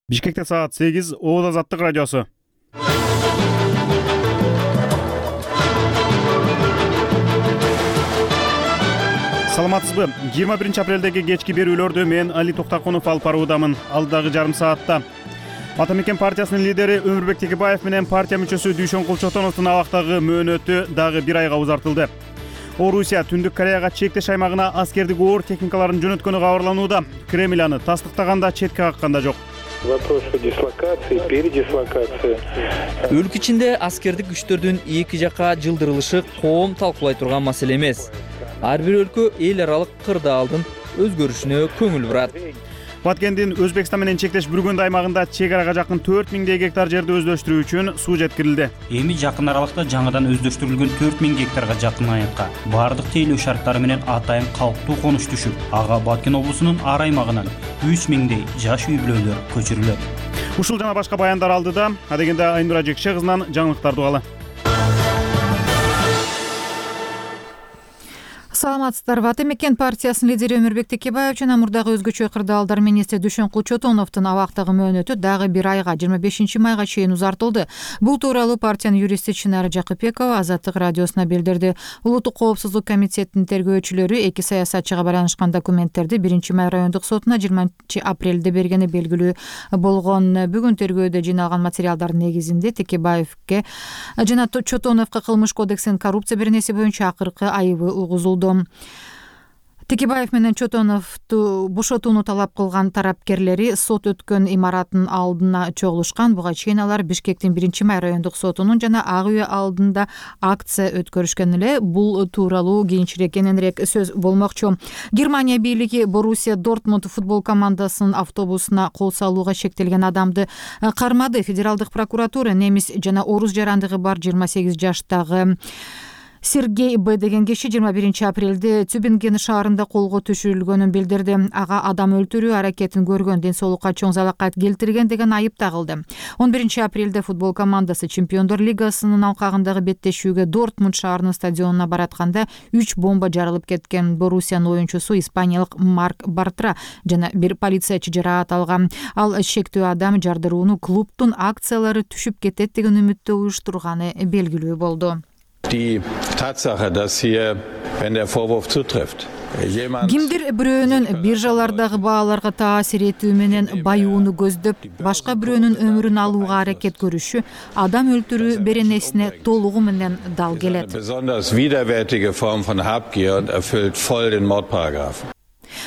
Бишкекте саат 8, Ооз Азаттык радиосу. Саламатсызбы? 21 апрелдеги кечки берүүлөрдү мен Али Токтакунов алып баруудамын. Алдагы жарым саатта Ата мекен партиясынын лидери Өмүрбек Текебаев менен партия мүчөсү Дүйшөн Кулчотоновдун абактагы мөөнөтү дагы бир айга узартылды. Орусия Түндүк Кореяга чектеш аймагына аскердик оор техникаларын жөнөткөнү кабарланууда. Кремль аны тастыктаганда, четке какканда жок. Вопрос о дислокации, передислокации. Өлкө ичинде аскердик күчтөрдүн эки жакка жылдырылышы коом талкуулай турган маселе эмес. Ар бир өлкө эл аралык кырдаалдын өзгөрүшүнө көңүл бурат. Баткендин Өзбекстан менен чектеш Бүргөндү аймагында чек арага жакын 4000 гектар жерди өздөштүрүү үчүн суу жеткирилди. Эми жакын аралыкта жаңыдан өздөштүрүлгөн 4000 гектарга жакын аякка баардык тейлөө шарттары менен атайын калктуу конуш түшүп, ага Баткен облусунун ар аймагынан 3000дей жаш үй бүлөлөр көчүрүлөт. Ушул жана башка баяндар алдыда, адегенде Айнура Жекше кызынан жаңылыктарды угалы. Саламатсыздарбы? Ата мекен партиясынын лидери Өмүрбек Текебаев жана мурдагы өзгөчө кырдаалдар министри Дүйшөн Кулчотоновдун абактагы мөөнөтү дагы бир айга 25 майга чейин узартылды. Бул тууралуу партиянын юристи Чынар Жакыпбекова Азаттык радиосуна билдирди. Улуттук коопсуздук комитетинин тергөөчүлөрү эки саясатчыга байланышкан документтерди 1 май райондук сотуна 20 апрелде бергени белгилүү болгон. Бүгүн тергөөдө жыйналган материалдардын негизинде Текебаевке жана Чотоновго кылмыш кодексинин коррупция беренеси боюнча акыркы айыбы угузулду. Текебаев менен Чотоновду бошотууну талап кылган тарапкерлери сот өткөн имараттын алдына чогулушкан. Буга чейин алар Бишкектин 1 май райондук сотунун жана Ак үй алдында акция өткөрүшкөн эле. Бул тууралуу кийинчерээк кененирээк сөз болмокчу. Германия бийлиги Боруссия Дортмунд футбол командасынын автобусуна кол салууга шектелген адамды кармады. Федералдык прокуратура немис жана орус жарандыгы бар 28 жаштагы Сергей Б деген киши 21 апрелде Тюбинген шаарында колго түшүрүлгөнүн билдирди. Ага адам өлтүрүү аракетин көргөн, ден соолукка чоң залакат келтирген деген айып тагылды. 11 апрелде футбол командасы Чемпиондор лигасынын алкагындагы беттешүүгө Дортмунд шаарынын стадионуна баратканда 3 бомба жарылып кеткен. Боруссиянын оюнчусу испаниялык Марк Бартра жана бир полициячы жараат алган. Ал шектүү адам жардырууну клубдун акциялары түшүп кетет деген үмүттө уюштурганы белгилүү болду. Die Tatsache, dass hier, wenn der Vorwurf zutrifft, кимдир бирөөнүн биржалардагы бааларга таасир этүү менен баюуну көздөп, башка бирөөнүн өмүрүн алууга аракет көрүшү адам өлтүрүү беренесине толугу менен дал келет. Besonders widerwärtige Form von Habgier und erfüllt voll den Mordparagraphen.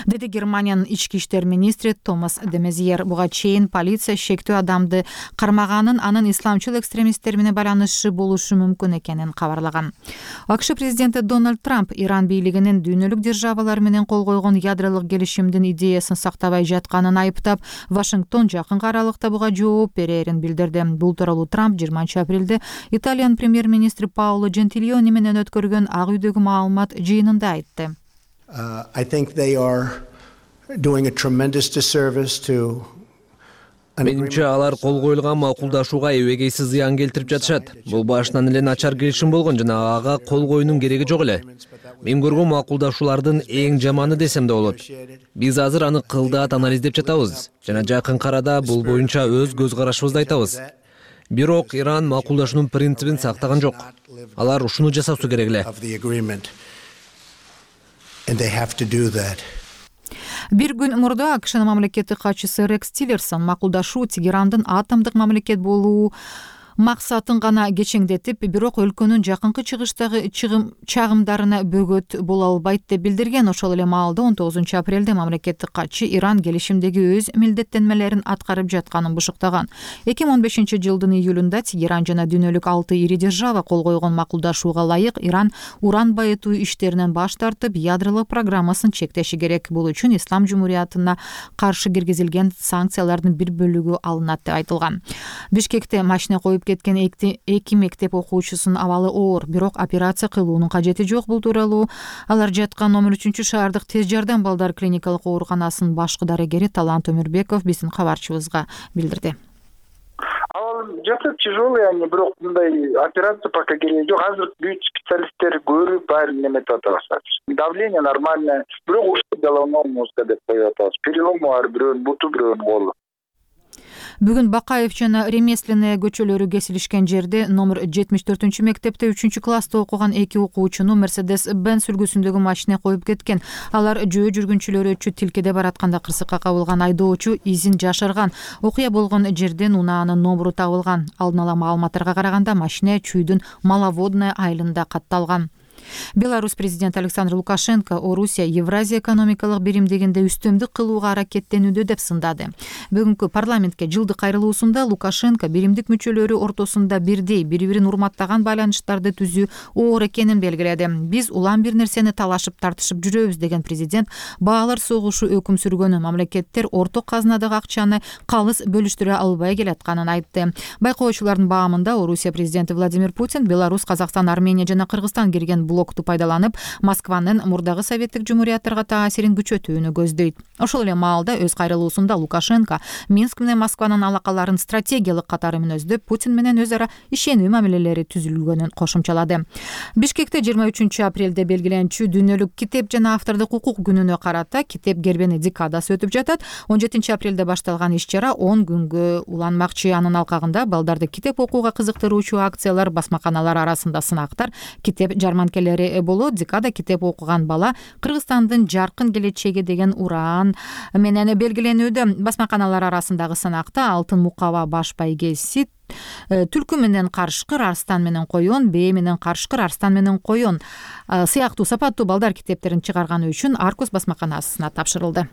Деди Германиянын ички иштер министри Томас де Мезьер. Буга чейин полиция шектүү адамды кармаганын, анын исламчыл экстремисттер менен байланышы болушу мүмкүн экенин кабарлаган. АКШ президенти Дональд Трамп Иран бийлигинин дүйнөлүк державалар менен кол койгон ядролук келишимдин идеясын сактабай жатканын айыптап, Вашингтон жакынкы аралыкта буга жооп берерин билдирди. Бул тууралуу Трамп 20 апрелде Италиянын премьер-министри Паоло Джентилиони менен өткөргөн Ак үйдөгү маалымат жыйынында айтты. I think they are doing a tremendous disservice to Менимче алар кол коюлган макулдашууга эбегейсиз зыян келтирип жатышат. Бул башынан эле начар келишим болгон жана ага кол коюунун кереги жок эле. Мен көргөн макулдашуулардын эң жаманы десем да болот. Биз азыр аны кылдаат анализдеп жатабыз жана жакынкы арада бул боюнча өз көз карашыбызды айтабыз. Бирок Иран макулдашуунун принцибин сактаган жок. Алар ушуну жасашысы керек эле. And they have to do that. Бир күн мурда АКШнын мамлекеттик катчысы Рекс Тиллерсон макулдашуу Тегерандын атомдук мамлекет болуу максатын гана кечеңдетип, бирок өлкөнүн жакынкы чыгыштагы чагымдарына бөгөт боло албайт деп билдирген. Ошол эле маалда 19 апрелде мамлекеттик катчы Иран келишимдеги өз милдеттенмелерин аткарып жатканын бушуктаган. 2015 жылдын июлунда Тегеран жана дүйнөлүк 6 ири держава кол койгон макулдашууга ылайык Иран уран байытуу иштеринен баш тартып, ядролук программасын чектеши керек. Бул үчүн Ислам Жумуриятына каршы киргизилген санкциялардын бир бөлүгү алынат деп айтылган. Бишкекте машина коюп кеткен эки мектеп окуучусунун абалы оор, бирок операция кылуунун кажети жок. Бул тууралуу алар жаткан номер 3-шаардык тез жардам балдар клиникалык ооруканасынын башкы дарыгери Талант Өмүрбеков биздин кабарчыбызга билдирди. Жакшы тяжелый, они бирок мындай операция пока кереги жок. Азыр бүт специалисттер көрүп баарын неметип атышат. Давление нормальное, бирок ушул головной мозга деп коюп атабыз. Перелом бар, бирөөнүн буту, бирөөнүн колу. Бүгүн Бакаев жана Ремесленная көчөлөрү кесилишкен жерде номер 74 мектепте 3-класста окуган 2 окуучуну Mercedes-Benz үлгүсүндөгү машина коюп кеткен. Алар жөө жүргүнчүлөрү өчү тилкеде баратканда кырсыкка кабылган. Айдоочу изин жашырган. Окуя болгон жерден унаанын номеру табылган. Алдын ала маалыматтарга караганда машина Чүйдүн Маловодная айылында катталган. Беларусь президенти Александр Лукашенко Орусия Евразия экономикалык биримдигинде үстөмдүк кылууга аракеттенүүдө деп сындады. Бүгүнкү парламентке жылдык кайрылуусунда Лукашенко биримдик мүчөлөрү ортосунда бирдей, бири-бирин урматтаган байланыштарды түзүү оор экенин белгиледи. Биз улам бир нерсени талашып тартышып жүрөбүз деген президент баалар согушу өкүм сүргөнү, мамлекеттер орток казынадагы акчаны калыс бөлүштүрө албай келатканын айтты. Байкоочулардын баамында Орусия президенти Владимир Путин Беларусь, Казакстан, Армения жана Кыргызстан кирген блокту пайдаланып, Москванын мурдагы советтик жумурияттарга таасирин күчөтүүнү көздөйт. Ошол эле маалда өз кайрылуусунда Лукашенко Минск менен Москванын алакаларын стратегиялык катары мүнөздөп, Путин менен өз ара ишенүү мамилелери түзүлгөнүн кошумчалады. Бишкекте 23 апрелде белгиленчү дүйнөлүк китеп жана автордук укук күнүнө карата китеп кербени декадасы өтүп жатат. 17 апрелде башталган иш-чара 10 күнгө уланмакчы. Анын алкагында балдарды китеп окууга кызыктыруучу акциялар, басмаканалар арасында сынактар, китеп жарманкелери болот. Декада китеп окуган бала Кыргызстандын жаркын келечеги деген ураан менен белгиленүүдө. Басмаканалар арасындагы сынакта алтын мукаба баш байгеси, түлкү менен карышкыр, арстан менен коён, бээ менен карышкыр, арстан менен коён сыяктуу сапаттуу балдар китептерин чыгарганы үчүн Аркус басмаканасына тапшырылды.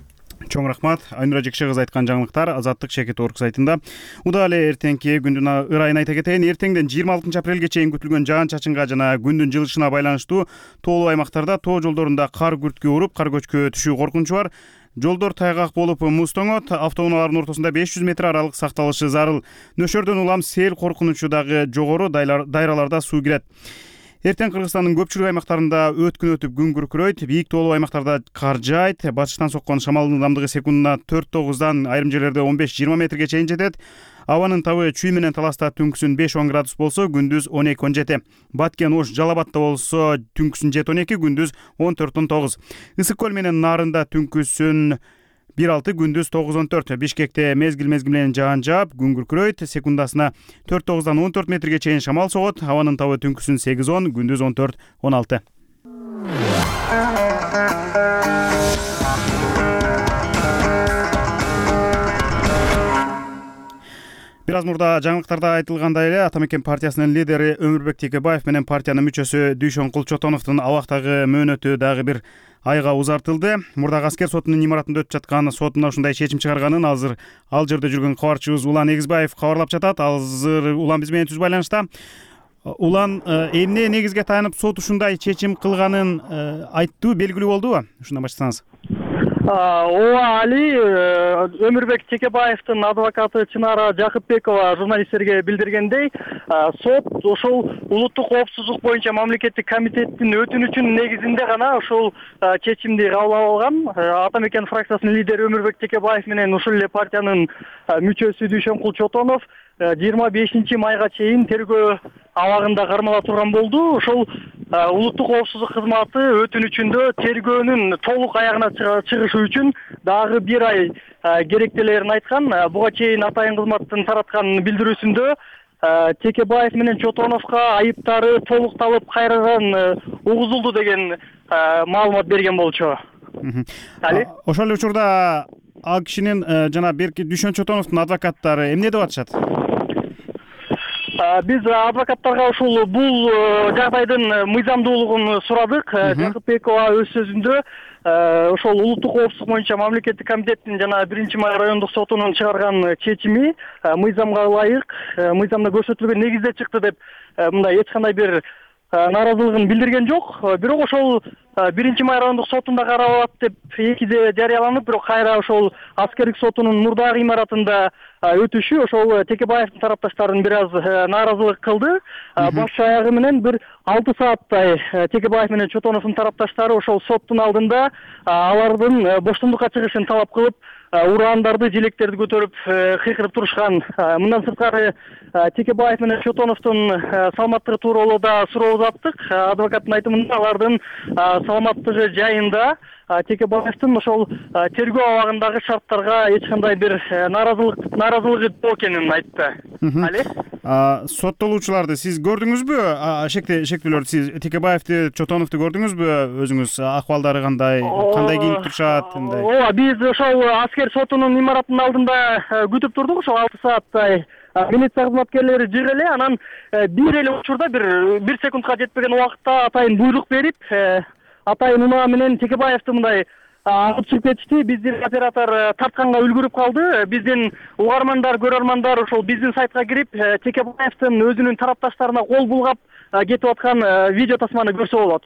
Чоң рахмат. Айнура Жекше кызы айткан жаңылыктар Азаттык Шекет.орг сайтында. Удаа эле эртеңки күндүн ырайын айта кетейин. Эртеңден 26 апрелге чейин күтүлгөн жаан-чачынга жана күндүн жылышына байланыштуу тоолуу аймактарда тоо жолдорунда кар күрткө уруп, кар көчкү түшүү коркунучу бар. Жолдор тайгак болуп муз тоңот, автоунаалардын ортосунда 500 метр аралык сакталышы зарыл. Нөшөрдөн улам сел коркунучу дагы жогору, дайраларда суу кирет. Эртең Кыргызстандын көпчүлүк аймактарында өткүн өтүп күн күркүрөйт. Бийик тоолуу аймактарда кар жаайт. Батыштан соккон шамалдын ылдамдыгы секундуна 4-9дан, айрым жерлерде 15-20 метрге чейин жетет. Абанын табы Чүй менен Таласта түнкүсүн 5-10 градус болсо, күндүз 12-17. Баткен, Ош, Жалал Абадта болсо, түнкүсүн 7-12, күндүз 14-19. Ысык көл менен Нарында түнкүсүн 1-6, күндүз 9-14. Бишкекте мезгил менен жаан жаап, күн күркүрөйт. Секундасына 4-9дан 14 метрге чейин шамал согот. Абанын табы түнкүсүн 8-10, күндүз 14-16. Бир аз мурда жаңылыктарда айтылгандай эле Ата Мекен партиясынын лидери Өмүрбек Текебаев менен партиянын мүчөсү Дүйшөн Кулчотоновдун абактагы мөөнөтү дагы бир айга узартылды. Мурдагы аскер сотунун имаратында өтүп жаткан сотуна ушундай чечим чыгарганын азыр ал жерде жүргөн кабарчыбыз Улан Эгизбаев кабарлап жатат. Азыр Улан биз менен түз байланышта. Улан, эмне негизге таянып сот ушундай чечим кылганын айттуу, белгилүү болдубу? Ушундан баштасаңыз. Ооба, Али, Өмүрбек Текебаевдин адвокаты Чынара Жакыпбекова журналисттерге билдиргендей, сот ошол улуттук коопсуздук боюнча мамлекеттик комитеттин өтүнүчүнүн негизинде гана ошол чечимди кабыл алган. Ата Мекен фракциясынын лидери Өмүрбек Текебаев менен ушул эле партиянын мүчөсү Дүйшөн Кулчотонов 25 майга чейин тергөө абагында кармала турган болду. Ошол улуттук коопсуздук кызматы өтүнүчүндө тергөөнүн толук аягына чыгышы үчүн дагы бир ай керектелерин айткан. Буга чейин атайын кызматтын тараткан билдирүүсүндө Текебаев менен Чотоновго айыптары толукталып кайрадан угузулду деген маалымат берген болчу. Ошол эле учурда ал кишинин жана берки Дүйшөн Чотоновдун адвокаттары эмне деп атышат? Биз адвокаттарга ушул бул жагдайдын мыйзамдуулугун сурадык. Жакыпбекова өз сөзүндө ошол улуттук коопсуздук боюнча мамлекеттик комитеттин жана 1-Май райондук сотунун чыгарган чечими мыйзамга ылайык, мыйзамда көрсөтүлгөн негизде чыкты деп мындай эч кандай бир нааразылыгын билдирген жок. Бирок ошол 1-Май райондук сотунда каралат деп 2-де жарыяланып, бирок кайра ошол аскердик сотунун мурдагы имаратында өтүшү ошол Текебаевдин тарапташтарын бир аз нааразылык кылды. Баш аягы менен бир 6 сааттай Текебаев менен Чотоновдун тарапташтары ошол соттун алдында алардын боштондукка чыгышын талап кылып, урандарды, желектерди көтөрүп кыйкырып турушкан. Мындан сырткары Текебаев менен Чотоновдун саламаттыгы тууралуу да суроо узаттык. Адвокаттын айтымында алардын саламаттыгы жайында Текебаевдин ошол тергөө абагындагы шарттарга эч кандай бир нааразылыгы жок экенин айтты. Али? Соттолуучуларды сиз көрдүңүзбү? Шектүүлөрдү сиз Текебаевди, Чотоновду көрдүңүзбү? Өзүңүз акыбалдары кандай кийинип турушат? Ооба, биз ошол аскер сотунун имаратынын алдында күтүп турдук, ошол 6 сааттай. Милиция кызматкерлери жыгы эле, анан бир эле учурда бир секундка жетпеген убакытта атайын буйрук берип, атайын унаа менен Текебаевди мындай агып чыгып кетишти. Биздин оператор тартканга үлгүрүп калды. Биздин угармандар, көрөрмандар ошол биздин сайтка кирип, Текебаевдин өзүнүн тарапташтарына кол булгап кетип аткан видео тасманы көрсө болот.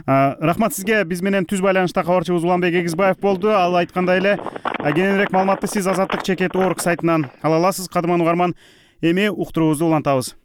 Рахмат сизге. Биз менен түз байланышта кабарчыбыз Уланбек Эгизбаев болду. Ал айткандай эле кененирээк маалыматты сиз Азаттык ЧК.org сайтынан ала аласыз. Кадырман угарман, эми уктуруубузду улантабыз.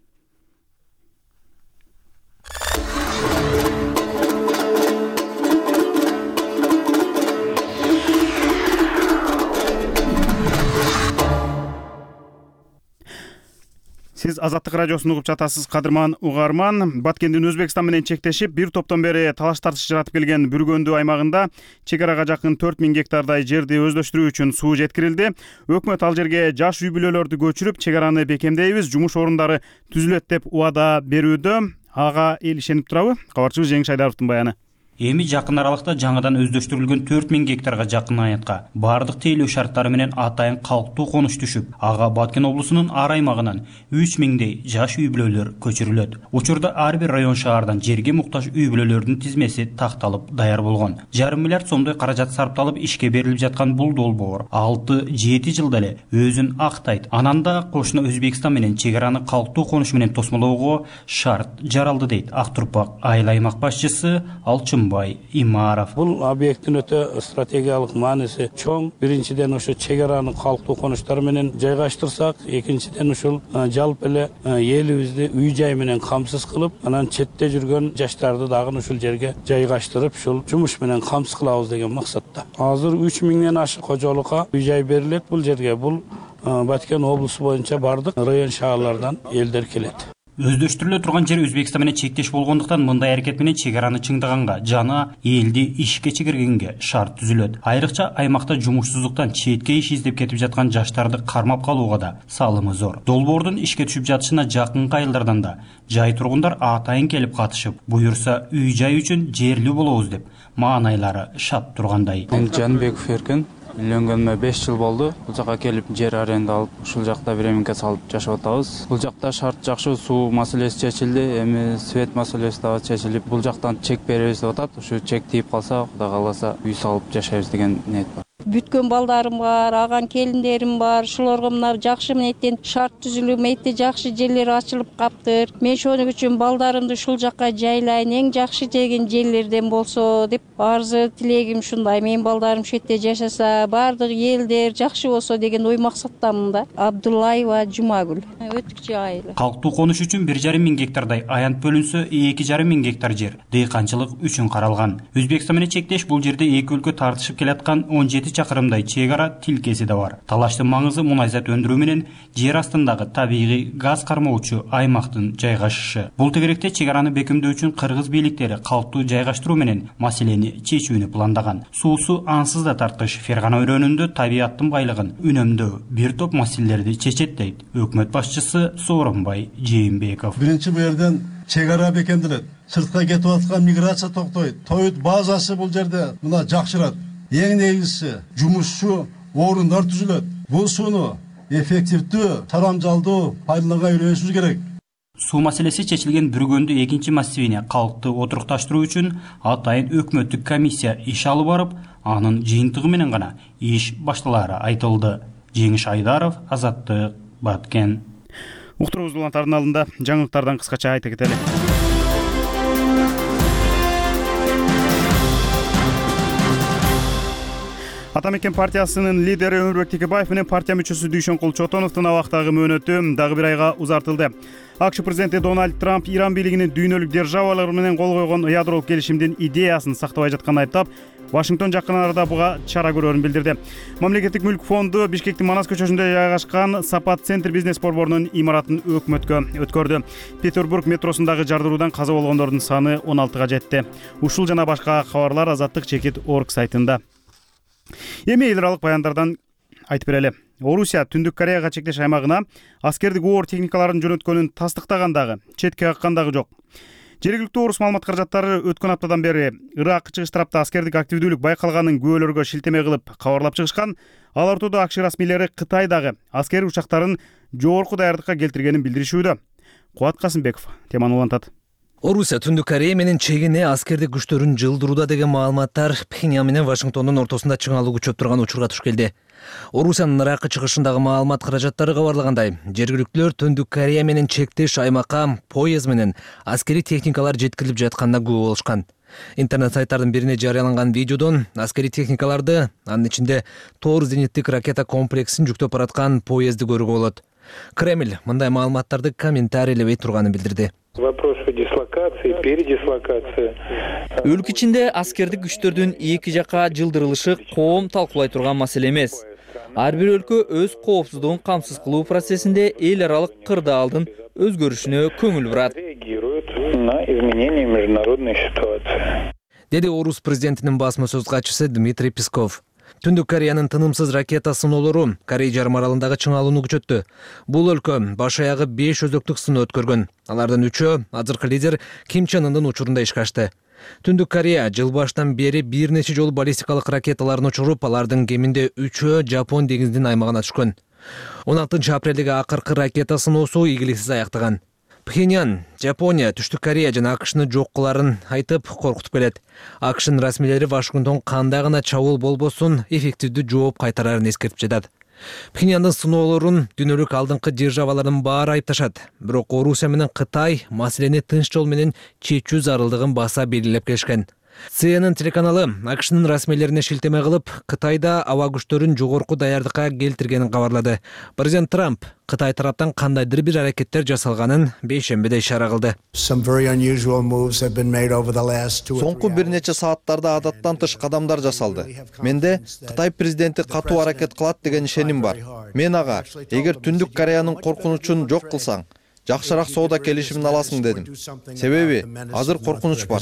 Сиз Азаттык радиосун угуп жатасыз, кадырман угарман. Баткендин Өзбекстан менен чектешип, бир топтон бери талаш тартыш жаратып келген Бүргөндү аймагында чек арага жакын 4000 гектардай жерди өздөштүрүү үчүн суу жеткирилди. Өкмөт ал жерге жаш үй бүлөлөрдү көчүрүп, чек араны бекемдейбиз, жумуш орундары түзүлөт деп убада берүүдө. Ага эл ишенип турабы? Кабарчыбыз Жеңиш Айдаровдун баяны. Эми жакын аралыкта жаңыдан өздөштүрүлгөн 4000 гектарга жакын аятка баардык тейлөө шарттары менен атайын калктуу конуш түшүп, ага Баткен облусунун ар аймагынан 3000дей жаш үй бүлөлөр көчүрүлөт. Учурда ар бир район шаардан жерге муктаж үй бүлөлөрдүн тизмеси такталып даяр болгон. 1,5 миллиард сомдой каражат сарпталып ишке берилип жаткан бул долбоор 6-7 жылда эле өзүн актайт. Анан да кошуна Өзбекстан менен чек араны калктуу конуш менен тосмолоого шарт жаралды дейт Ак Турпак айыл аймак башчысы Алчынбай Имаров. Бул объекттин өтө стратегиялык мааниси чоң. Биринчиден ошо чек араны калктуу конуштар менен жайгаштырсак, экинчиден ушул жалпы эле элибизди үй жай менен камсыз кылып, анан четте жүргөн жаштарды дагы ушул жерге жайгаштырып, ушул жумуш менен камсыз кылабыз деген максатта. Азыр 3000ден ашык кожолукка үй жай берилет бул жерге. Бул Баткен облусу боюнча бардык район шаарлардан элдер келет. Өздөштүрүлө турган жер Өзбекстан менен чектеш болгондуктан мындай аракет менен чек араны чыңдаганга жана элди ишке чегиргенге шарт түзүлөт. Айрыкча аймакта жумушсуздуктан четке иш издеп кетип жаткан жаштарды кармап калууга да салымы зор. Долбоордун ишке түшүп жатышына жакын айылдардан да жай тургундар атайын келип катышып, буюрса үй жай үчүн жерлүү болобуз деп маанайлары шат тургандай. Жанбеков Эркин. Үйлөнгөнүмө 5 жыл болду. Бул жака келип жер аренда алып, ушул жакта биреминке салып жашап атабыз. Бул жакта шарт жакшы, суу маселеси чечилди, эми свет маселеси да чечилип, бул жактан чек беребиз деп атат. Ушу чек тийип калса, Кудай кааласа үй салып жашайбыз деген ниет бар. Бүткөн балдарым бар, аган келиндерим бар. Ушуларга мына жакшы мынеттен шарт түзүлүп, мынетте жакшы жерлер ачылып каптыр. Мен ошону үчүн балдарымды ушул жакка жайлайын, эң жакшы деген жерлерден болсо деп арзы тилегим ушундай. Менин балдарым ушул жерде жашаса, баардык элдер жакшы болсо деген ой максаттамын да. Абдуллаева Жумагүл, Өтүкчү айылы. Калктуу конуш үчүн 1,5 гектардай аянт бөлүнсө, 2,5 гектар жер дыйканчылык үчүн каралган. Өзбекстан менен чектеш бул жерде эки өлкө тартышып келаткан 17 чакырымдай чек ара тилкеси да бар. Талаштын маңызы мунайзат өндүрүү менен жер астындагы табигый газ кармоочу аймактын жайгашышы. Бул тегеректе чек араны бекемдөө үчүн кыргыз бийликтери калктуу жайгаштыруу менен маселени чечүүнү пландаган. Суусу ансыз да тартыш Фергана өрөөнүндө табиаттын байлыгын үнөмдөө бир топ маселелерди чечет дейт өкмөт башчысы Сооронбай Жээнбеков. Биринчи бу жерден чек ара бекемделет. Сыртка кетип аткан миграция токтойт. Тоют базасы бул жерде мына жакшырат. Эң негизгиси жумушчу орундар түзүлөт. Бул сууну эффективдүү, тарамжалдуу пайдаланганга үйрөнүшүбүз керек. Суу маселеси чечилген Бүргөндү экинчи массивине калкты отурукташтыруу үчүн атайын өкмөттүк комиссия иш алып барып, анын жыйынтыгы менен гана иш башталары айтылды. Жеңиш Айдаров, Азаттык, Баткен. Уктуруубуз улантардын алдында жаңылыктардан кыскача айта кетели. Атамекен партиясынын лидери Өмүрбек Текебаев менен партия мүчөсү Дүйшөнкул Чотоновдун абактагы мөөнөтү дагы бир айга узартылды. АКШ президенти Дональд Трамп Иран бийлигинин дүйнөлүк державалар менен кол койгон ядролук келишимдин идеясын сактабай жатканын айыптап, Вашингтон жакын арада буга чара көрөрүн билдирди. Мамлекеттик мүлк фонду Бишкектин Манас көчөсүндө жайгашкан Сапат Центр бизнес борборунун имаратын өкмөткө өткөрдү. Петербург метросундагы жардыруудан каза болгондордун саны 16га жетти. Ушул жана башка кабарлар Азаттык чекит орг сайтында. Эми эл аралык баяндардан айтып берели. Орусия Түндүк Кореяга чектеш аймагына аскердик оор техникаларын жөнөткөнүн тастыктагандагы, четке каккандагы жок. Жергиликтүү орус маалымат каражаттары өткөн аптадан бери Ирак чыгыш тарапта аскердик активдүүлүк байкалганын күбөлөргө шилтеме кылып кабарлап чыгышкан. Ал ортодо АКШ расмийлери Кытайдагы аскери учактарын жогорку даярдыкка келтиргенин билдиришүүдө. Кубат Касымбеков теманы улантат. Орусия Түндүк Корея менен чегине аскердик күчтөрүн жылдырууда деген маалыматтар Пхеньян менен Вашингтондун ортосунда чыңалуу күчөп турган учурга туш келди. Орусиянын Иракка чыгышындагы маалымат каражаттары кабарлагандай, жергиликтүүлөр Түндүк Корея менен чектеш аймакка поезд менен аскери техникалар жеткирилип жатканына күбө болушкан. Интернет сайттардын бирине жарыяланган видеодон аскери техникаларды, анын ичинде Тор зениттик ракета комплексин жүктөп бараткан поездди көрүүгө болот. Кремль мындай маалыматтарды комментарийлебей турганын билдирди. Вопрос о дислокации, передислокации. Өлкө ичинде аскердик күчтөрдүн эки жака жылдырылышы коом талкуулай турган маселе эмес. Ар бир өлкө өз коопсуздугун камсыз кылуу процессинде эл аралык кырдаалдын өзгөрүшүнө көңүл бурат. На изменение международной ситуации. Деди Орус президентинин басма сөз катчысы Дмитрий Песков. Түндүк Кореянын тынымсыз ракета сыноолору Корей жарым аралындагы чыңалууну күчөттү. Бул өлкө баш аягы 5 өзөктүк сыноо өткөргөн. Алардын 3-өө азыркы лидер Ким Чен Ындын учурунда ишке ашты. Түндүк Корея жыл башынан бери бир нече жолу баллистикалык ракеталарын учуруп, алардын кеминде 3-өө Жапон деңизинин аймагына түшкөн. 16 апрелдеги акыркы ракета сыноосу ийгиликсиз аяктаган. Пхеньян, Жапония, Түштүк Корея жана АКШны жок кыларын айтып коркутуп келет. АКШнын расмийлери Вашингтон кандай гана чабуул болбосун эффективдүү жооп кайтарарын эскертип жатат. Пхеньяндын сыноолорун дүйнөлүк алдыңкы державалардын баары айыпташат. Бирок Орусия менен Кытай маселени тынч жол менен чечүү зарылдыгын баса белгилеп келишкен. CNN телеканалы АКШнын расмийлерине шилтеме кылып, Кытайда аба күчтөрүн жогорку даярдыкка келтиргенин кабарлады. Президент Трамп Кытай тараптан кандайдыр бир аракеттер жасалганын бейшембиде ишара кылды. Соңку бир нече сааттарда адаттан тыш кадамдар жасалды. Менде Кытай президенти катуу аракет кылат деген ишеним бар. Мен ага, эгер Түндүк Кореянын коркунучун жок кылсаң, жакшыраак соода келишимин аласың дедим. Себеби азыр коркунуч бар.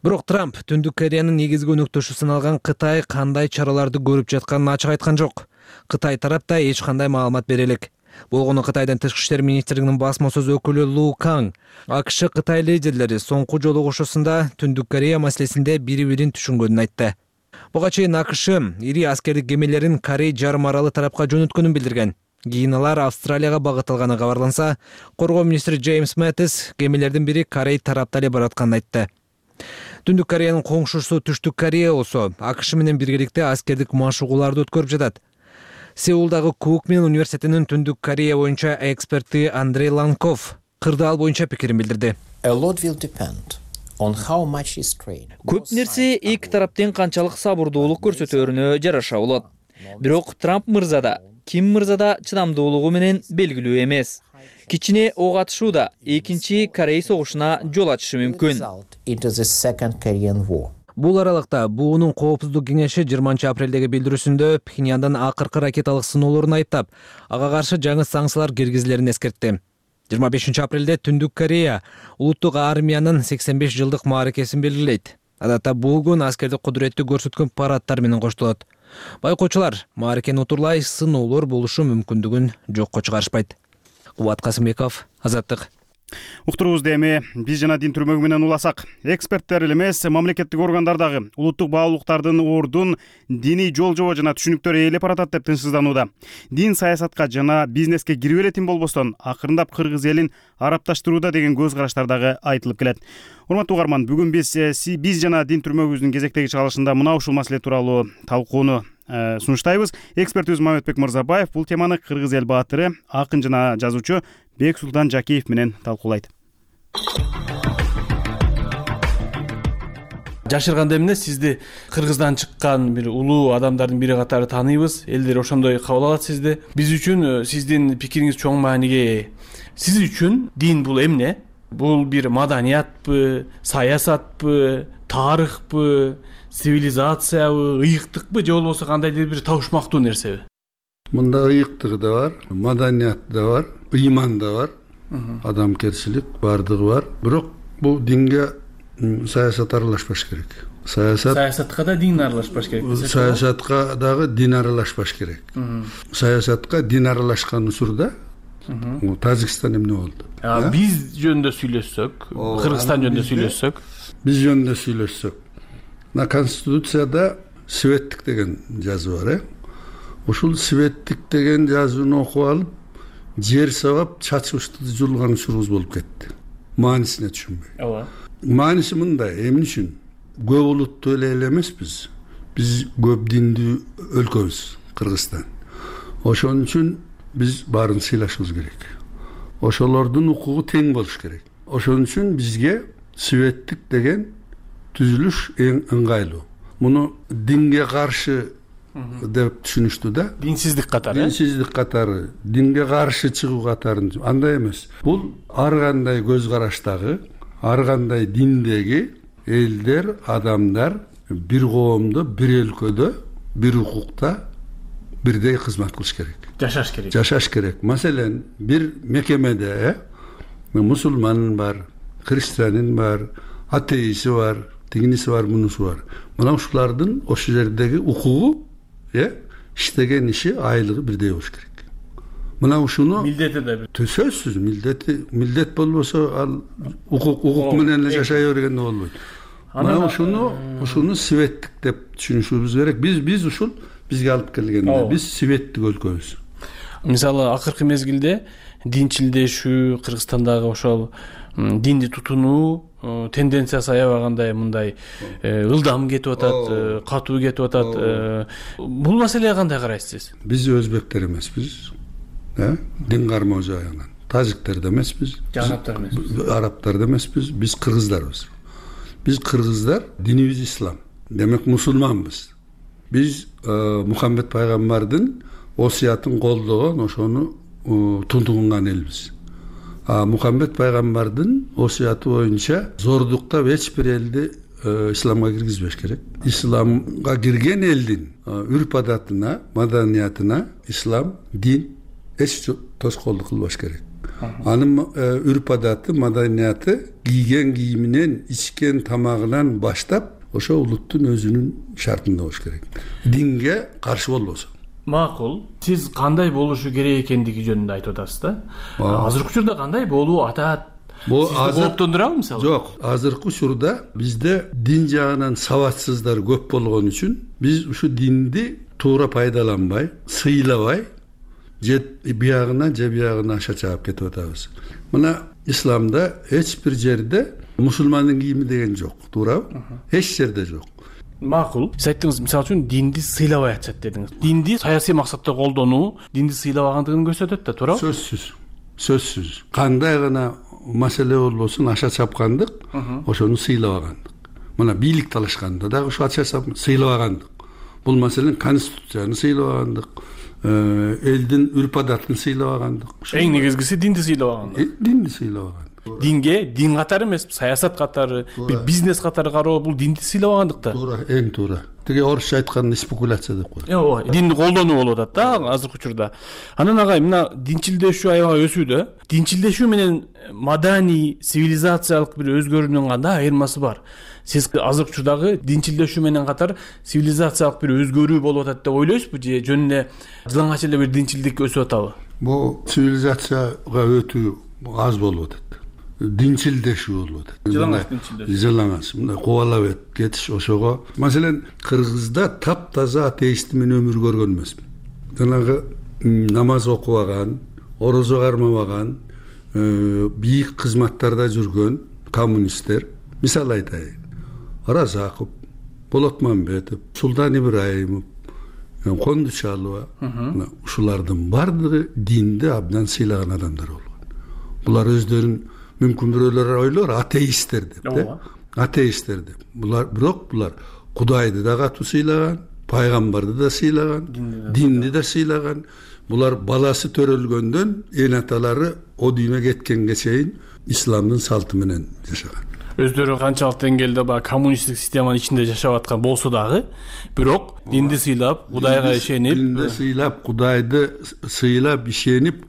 Бирок Трамп Түндүк Кореянын негизги өнөктөшү саналган Кытай кандай чараларды көрүп жатканын ачык айткан жок. Кытай тарапта эч кандай маалымат бере элек. Болгону Кытайдын тышкы иштер министрлигинин басма сөз өкүлү Лу Канг АКШ Кытай лидерлери соңку жолугушуусунда Түндүк Корея маселесинде бири-бирин түшүнгөнүн айтты. Буга чейин АКШ ири аскердик кемелерин Корей жарым аралы тарапка жөнөткөнүн билдирген. Кийин алар Австралияга багытталганы кабарланса, коргоо министри Джеймс Мэттис кемелердин бири Корей тарапта эле баратканын айтты. Түндүк Кореянын коңшусу Түштүк Корея болсо АКШ менен биргеликте аскердик машыгууларды өткөрүп жатат. Сеулдагы Кукмин университетинин Түндүк Корея боюнча эксперти Андрей Ланков кырдаал боюнча пикирин билдирди. Көп нерсе эки тараптын канчалык сабырдуулук көрсөтөөрүнө жараша болот. Бирок Трамп мырза да, Ким мырза да чыдамдуулугу менен белгилүү эмес. Кичине ок атышууда экинчи Корей согушуна жол ачышы мүмкүн. Бул аралыкта буунун коопсуздук кеңеши 20 апрелдеги билдирүүсүндө Пхеньяндан акыркы ракеталык сыноолорун айыптап, ага каршы жаңы санкциялар киргизилерин эскертти. 25 апрелде Түндүк Корея улуттук армиянын 85 жылдык мааракесин белгилейт. Адатта бул күн аскердик кудуретти көрсөткөн парадтар менен коштолот. Байкоочулар мааракени утурлай сыноолор болушу мүмкүндүгүн жокко чыгарышпайт. Кубат Касымбеков, Азаттык. Уктуруубузду эми биз жана дин түрмөгү менен уласак. Эксперттер эле эмес, мамлекеттик органдардагы улуттук баалуулуктардын ордун диний жол-жобо жана түшүнүктөр ээлеп баратат деп тынчсызданууда. Дин саясатка жана бизнеске кирип элетин болбостон, акырындап кыргыз элин арапташтырууда деген көз караштар дагы айтылып келет. Урматтуу угарман, бүгүн биз жана дин түрмөгүбүздүн кезектеги чыгарылышында мына ушул маселе тууралуу талкууну сунуштайбыз. Экспертибиз Мамедбек Мырзабаев бул теманы кыргыз эл баатыры, акын жана жазуучу Бексултан Жакиев менен талкуулайт. Жашырганда эмне сизди Кыргыздан чыккан бир улуу адамдардын бири катары тааныйбыз. Элдер ошондой кабыл алат сизди. Биз үчүн сиздин пикириңиз чоң мааниге ээ. Сиз үчүн дин бул эмне? Бул бир маданиятпы, саясатпы, тарыхпы, цивилизациябы, ыйыктыкпы же болбосо кандайдыр бир табышмактуу нерсеби? Мында ыйыктыгы да бар, маданият да бар, ыйман да бар, адамгерчилик бардыгы бар. Бирок бул динге саясат аралашпаш керек. Саясатка да дин аралашпаш керек. Саясатка дагы дин аралашпаш керек. Саясатка дин аралашкан учурда Тажикстан эмне болду? Биз жөнүндө сүйлөшсөк, Кыргызстан жөнүндө сүйлөшсөк, биз жөнүндө сүйлөшсөк. Мына Конституцияда светтик деген жазуу бар, Ушул светтик деген жазууну окуп алып, жер сабап, чачыбышты жулган учурубуз болуп кетти. Маанисине түшүнбөй. Ооба. Мааниси мындай, эмне үчүн? Көп улуттуу эле эмеспиз. Биз көп диндүү өлкөбүз, Кыргызстан. Ошон үчүн биз баарын сыйлашыбыз керек. Ошолордун укугу тең болуш керек. Ошон үчүн бизге светтик деген түзүлүш эң ыңгайлуу. Муну динге каршы деп түшүнүштү да. Динсиздик катары. Динсиздик катары, динге каршы чыгуу катарын. Андай эмес. Бул ар кандай көз караштагы, ар кандай диндеги элдер, адамдар бир коомдо, бир өлкөдө, бир укукта бирдей кызмат кылыш керек. Жашаш керек. Жашаш керек. Маселен, бир мекемеде мусулман бар, христианин бар, атеисти бар, тигиниси бар, мунусу бар. Мына ушулардын ошол жердеги укугу, иштеген иши, айлыгы бирдей болуш керек. Мына ушуну милдети да бир. Сөзсүз милдет болбосо ал укук менен эле жашай бергенде болбойт. Мына ушуну светтик деп түшүнүшүбүз керек. Биз ушул бизге алып келгенде биз светтик өлкөбүз. Мисалы акыркы мезгилде динчилдешүү, Кыргызстандагы ошол динди тутунуу тенденциясы аябагандай мындай ылдам кетип атат, катуу кетип атат. Бул маселеге кандай карайсыз? Биз өзбектер эмеспиз. Дин кармоо жагынан. Тажиктер да эмеспиз. Арабтар да эмеспиз. Биз кыргыздарбыз. Биз кыргыздар, динибиз ислам. Демек мусулманбыз. Биз Мухаммед пайгамбардын осуятын колдогон, ошону тунтугунган элбиз. Мухаммед пайгамбардын осуяты боюнча зордуктап эч бир элди исламга киргизбеш керек. Исламга кирген элдин үрп адатына, маданиятына ислам, дин эч тоскоолдук кылбаш керек. Анын үрп адаты, маданияты кийген кийиминен, ичкен тамагынан баштап ошо улуттун өзүнүн шартында болуш керек. Динге каршы болбосо. Макул. Сиз кандай болушу керек экендиги жөнүндө айтып атасыз да. Азыркы учурда кандай болуу атат? Бул кооптондурабы мисалы? Жок, азыркы учурда бизде дин жагынан сабатсыздар көп болгон үчүн биз ушу динди туура пайдаланбай, сыйлабай, же биягына же биягына аша чаап кетип атабыз. Мына исламда эч бир жерде мусулмандын кийими деген жок, туурабы? Эч жерде жок. Макул. Сиз айттыңыз, мисалы үчүн динди сыйлабай атышат дедиңиз. Динди саясий максатта колдонуу, динди сыйлабагандыгын көрсөтөт да, туурабы? Сөзсүз. Кандай гана маселе болбосун, аша чапкандык, ошону сыйлабагандык. Мына бийлик талашканда дагы ушу аша чапкандык, сыйлабагандык. Бул маселен конституцияны сыйлабагандык, элдин үрп адатын сыйлабагандык. Эң негизгиси динди сыйлабагандык. Динди сыйлабагандык. Динге дин катары эмес, саясат катары, бир бизнес катары кароо, бул динди сыйлабагандык да. Туура, эң туура. Тиги орусча айтканда спекуляция деп коет. Ооба, динди колдонуу болуп атат да азыркы учурда. Анан агай, мына динчилдешүү аябай өсүүдө. Динчилдешүү менен маданий, цивилизациялык бир өзгөрүүнүн кандай айырмасы бар? Сиз азыркы учурдагы динчилдешүү менен катар цивилизациялык бир өзгөрүү болуп атат деп ойлойсузбу же жөн эле жылаңач эле бир динчилдик өсүп атабы? Бул цивилизацияга өтүү аз болуп атат. Динчилдешүү болуп атат. Жылаңач, мындай кубалап кетиш ошого. Маселен, Кыргызда таптаза атеист менен өмүр көргөн эмесмин. Жанагы намаз окубаган, орозо кармабаган, бийик кызматтарда жүргөн коммунисттер, мисал айтайын. Оразаков, Болот Мамбетов, Султан Ибраимов, Кондучалова, ушулардын бардыгы динди абдан сыйлаган адамдар болгон. Булар өздөрүн мүмкүн бирөөлөр ойлор атеисттер деп, атеисттер деп. Бирок булар Кудайды да катуу сыйлаган, пайгамбарды да сыйлаган, динди да сыйлаган. Булар баласы төрөлгөндөн эн аталары о дүйнөгө кеткенге чейин исламдын салты менен жашаган. өздөрү канчалык деңгээлде баягы коммунисттик системанын ичинде жашап аткан болсо дагы, бирок динди сыйлап, Кудайга ишенип, динди сыйлап, Кудайды сыйлап, ишенип,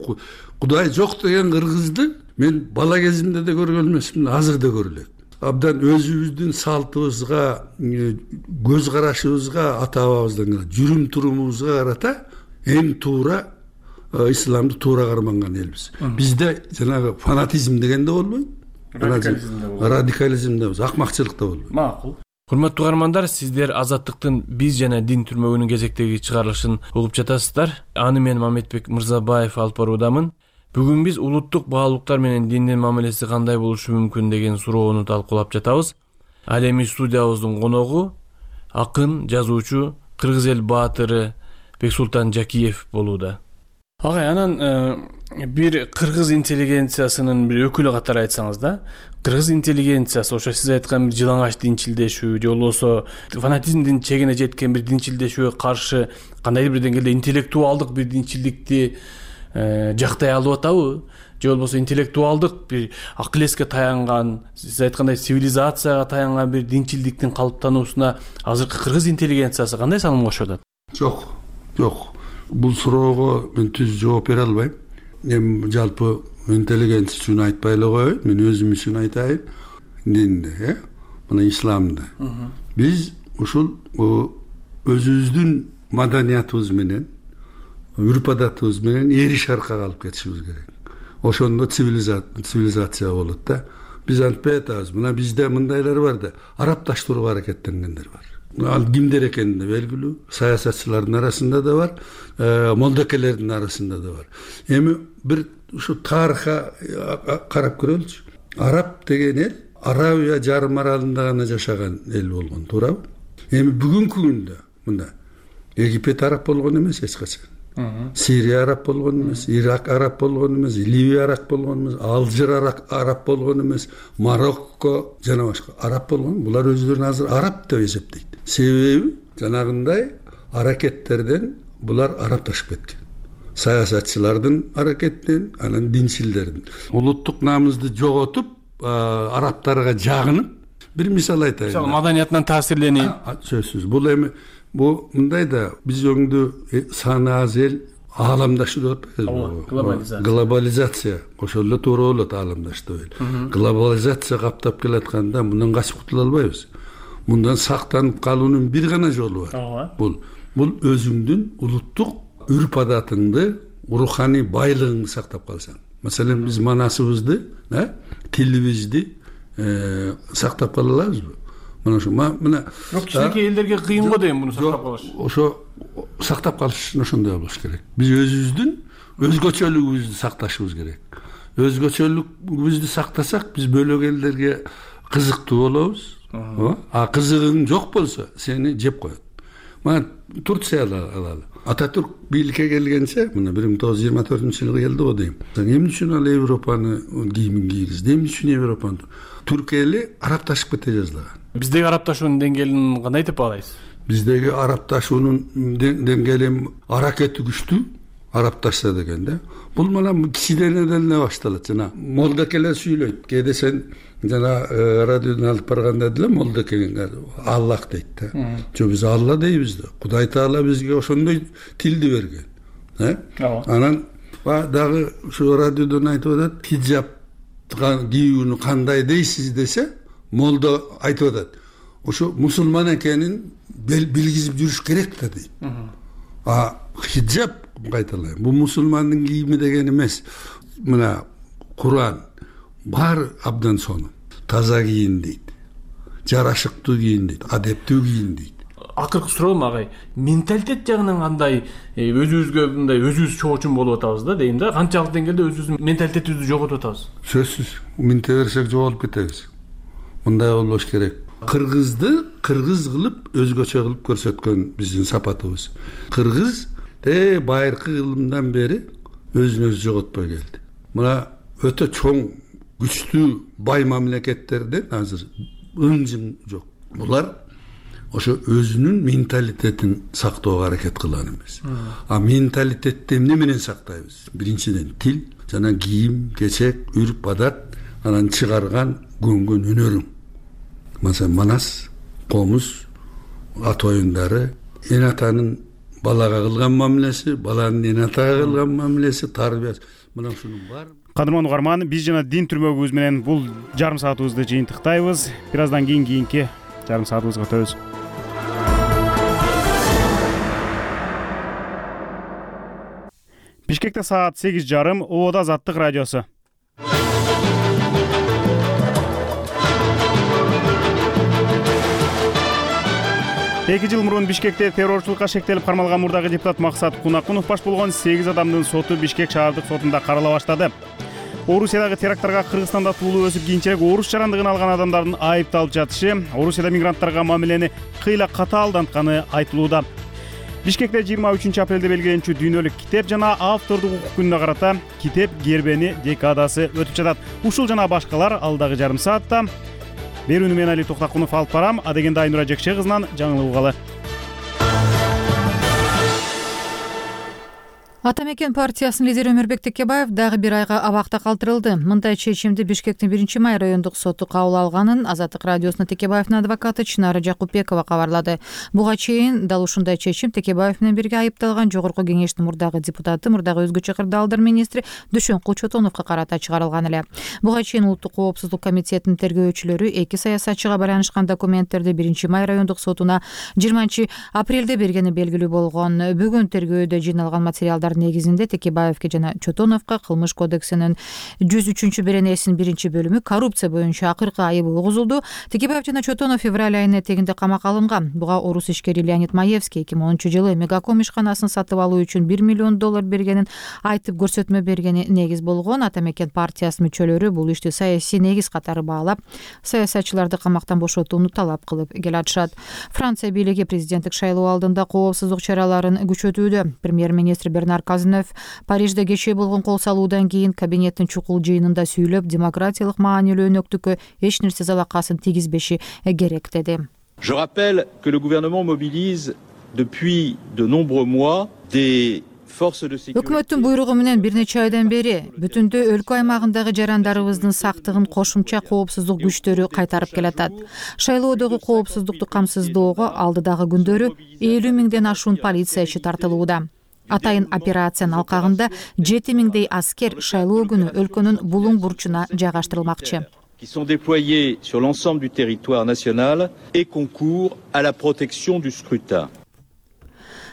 Кудай жок деген кыргызды мен бала кезимде да көргөн эмесмин, азыр да көрүлөт. Абдан өзүбүздүн салтыбызга, көз карашыбызга, ата бабабыздан жүрүм турумубузга карата эң туура исламды туура карманган элбиз. Бизде жанагы фанатизм деген да болбойт. Радикализм да болбойт, акмакчылык да болбойт. Макул. Урматтуу угармандар, сиздер Азаттыктын биз жана дин түрмөгүнүн кезектеги чыгарылышын угуп жатасыздар. Аны мен Мамедбек Мырзабаев алып баруудамын. Бүгүн биз улуттук баалуулуктар менен диндин мамилеси кандай болушу мүмкүн деген суроону талкуулап жатабыз. Ал эми студиябыздын коногу акын, жазуучу, кыргыз эл баатыры Бексултан Жакиев болууда. Агай, анан бир кыргыз интеллигенциясынын бир өкүлү катары айтсаңыз да, кыргыз интеллигенциясы ошо сиз айткан бир жылаңач динчилдешүү же болбосо фанатизмдин чегине жеткен бир динчилдешүүгө каршы кандайдыр бир деңгээлде интеллектуалдык бир динчилдикти жактай алып атабы? Же болбосо интеллектуалдык бир акыл эске таянган, сиз айткандай цивилизацияга таянган бир динчилдиктин калыптануусуна азыркы кыргыз интеллигенциясы кандай салым кошуп атат? Жок. Бул суроого мен түз жооп бере албайм. Эми жалпы интеллигенция үчүн айтпай эле коеюн, мен өзүм үчүн айтайын. Динде, мына исламда. Биз ушул өзүбүздүн маданиятыбыз менен, үрп-адатыбыз менен эри шаркка алып кетишибиз керек. Ошондо цивилизация болот да. Биз антпай атабыз. Мына бизде мындайлар бар да, арапташтырууга аракеттенгендер бар. Ал кимдер экени да белгилүү, саясатчылардын арасында да бар, молдокелердин арасында да бар. Эми бир ушу тарыхка карап көрөлүчү. Араб деген эл Арабия жарым аралында гана жашаган эл болгон, туурабы? Эми бүгүнкү күндө мында Египет араб болгон эмес эч качан. Сирия араб болгон эмес, Ирак араб болгон эмес, Ливия араб болгон эмес, Алжир араб болгон эмес, Марокко жана башка араб болгон. Булар өздөрүн азыр араб деп эсептейт. Себеби жанагындай аракеттерден булар арапташып кеткен. Саясатчылардын аракеттен, анан динчилдердин. Улуттук намызды жоготуп, арабтарга жагынып, бир мисал айтайын. Мисалы маданиятынан таасирленип. Сөзсүз. Бул эми бу мындай да биз өңдү саны аз эл ааламдашы деп атпайбызбы? Глобализация. Ошол эле туура болот ааламдаш деп. Глобализация каптап келатканда мындан качып кутула албайбыз. Мындан сактанып калуунун бир гана жолу бар. Бул өзүңдүн улуттук үрп-адатыңды, руханий байлыгыңды сактап калсаң. Маселен, биз манасыбызды, тилибизди сактап кала алабызбы? Мына ошо мына кичинекей элдерге кыйын го дейм муну сактап калыш. Ошо сактап калыш ошондой болуш керек. Биз өзүбүздүн өзгөчөлүгүбүздү сакташыбыз керек. Өзгөчөлүгүбүздү сактасак, биз бөлөк элдерге кызыктуу болобуз. А кызыгың жок болсо, сени жеп коет. Мына Турция алалы. Ататүрк бийликке келгенче, мына 1924-жылы келди го дейм. Эмне үчүн ал Европаны кийимин кийгизди? Эмне үчүн Европаны? Түркия эли арапташып кете жаздаган. Биздеги арапташуунун деңгээлин кандай деп баалайсыз? Биздеги арапташуунун деңгээли аракети күчтүү, арапташса деген да. Бул мына кичинеден эле башталат. Жана молдокелер сүйлөйт. Кээде сен жана радиодон алып барганда деле молдокелер Аллах дейт да. Жок, биз Алла дейбиз да. Кудай Таала бизге ошондой тилди берген. Анан дагы ушу радиодон айтып атат, хиджаб кийүүнү кандай дейсиз десе, молдо айтып атат. Ошо мусулман экенин билгизип жүрүш керек да дейт. Хиджаб кайталайм. Бул мусулмандын кийими деген эмес. Мына Куран бар абдан сонун. Таза кийин дейт. Жарашыктуу кийин дейт, адептүү кийин дейт. Акыркы суроом агай, менталитет жагынан кандай өзүбүзгө мындай өзүбүз чоочун болуп атабыз да дейм да. Канчалык деңгээлде өзүбүздүн менталитетибизди жоготуп атабыз? Сөзсүз, минте берсек жоголуп кетебиз. Мындай болбош керек. Кыргызды кыргыз кылып, өзгөчө кылып көрсөткөн биздин сапатыбыз. Кыргыз байыркы кылымдан бери өзүн өзү жоготпой келди. Мына өтө чоң, күчтүү бай мамлекеттерден азыр ыңжың жок. Булар ошо өзүнүн менталитетин сактоого аракет кылган эмес. Менталитетти эмне менен сактайбыз? Биринчиден тил, жана кийим, кечек, үрп-адат, анан чыгарган көнгөн өнөрүң. Masalan Manas, Komuz, ата оюндары, эн атанын балага кылган мамилеси, баланын эн атага кылган мамилеси, тарбиясы. Мына ушунун баары. Кадырман угарман, биз жана дин түрмөгүбүз менен бул жарым саатыбызды жыйынтыктайбыз. Бир аздан кийинки жарым саатыбызга өтөбүз. Бишкекте саат 8:30, Ободо Азаттык радиосу. Эки жыл мурун Бишкекте террорчулукка шектелип кармалган мурдагы депутат Максат Кунакунов баш болгон 8 адамдын соту Бишкек шаардык сотунда карала баштады. Орусиядагы теракттарга Кыргызстанда туулуу өсүп кийинчерээк орус жарандыгын алган адамдардын айыпталып жатышы, Орусияда мигранттарга мамилени кыйла катаалдантканы айтылууда. Бишкекте 23 апрелде белгиленчү дүйнөлүк китеп жана автордук укук күнүнө карата китеп гербени декадасы өтүп жатат. Ушул жана башкалар алдагы жарым саатта. Берүүнү мен Али Токтакунов алып барам, адегенде Айнура Жекше кызынан жаңылып угалы. Атамекен партиясынын лидери Өмүрбек Текебаев дагы бир айга абакта калтырылды. Мындай чечимди Бишкектин 1-май райондук соту кабыл алганын Азаттык радиосуна Текебаевдин адвокаты Чынара Жакупбекова кабарлады. Буга чейин дал ушундай чечим Текебаев менен бирге айыпталган Жогорку кеңештин мурдагы депутаты, мурдагы өзгөчө кырдаалдар министри Дүшөн Кулчотоновго карата чыгарылган эле. Буга чейин Улуттук коопсуздук комитетинин тергөөчүлөрү эки саясатчыга байланышкан документтерди 1-май райондук сотуна 20 апрелде бергени белгилүү болгон. Бүгүн тергөөдө жыйналган материалдар негизинде Текебаевке жана Чотоновго Кылмыш кодексинин 103 беренесинин 1-бөлүмү коррупция боюнча акыркы айыбы угузулду. Текебаев жана Чотонов февраль айынын этегинде камакка алынган. Буга орус ишкери Леонид Маевский 2010-жылы Мегаком ишканасын сатып алуу үчүн $1 миллион бергенин айтып көрсөтмө бергени негиз болгон. Атамекен партиясынын мүчөлөрү бул ишти саясий негиз катары баалап, саясатчыларды камактан бошотууну талап кылып келатышат. Франция бийлиги президенттик шайлоо алдында коопсуздук чараларын күчөтүүдө. Премьер-министр Бернар Казнев Парижде кечээ болгон кол салуудан кийин кабинеттин чукул жыйынында сүйлөп, демократиялык маанилүү өнөктүккө эч нерсе залакасын тийгизбеши керек деди. Je rappelle que le gouvernement mobilise depuis de nombreux mois des Өкмөттүн буйругу менен бир нече айдан бери бүтүндө өлкө аймагындагы жарандарыбыздын сактыгын кошумча коопсуздук күчтөрү кайтарып келатат. Шайлоодогу коопсуздукту камсыздоого алдыдагы күндөрү 50 миңден ашуун полициячы тартылууда. Атайын операциянын алкагында 7 миңдей аскер шайлоо күнү өлкөнүн булуң бурчуна жайгаштырылмакчы. Qui sont déployés sur l'ensemble du territoire national et concourent à la protection du scrutin.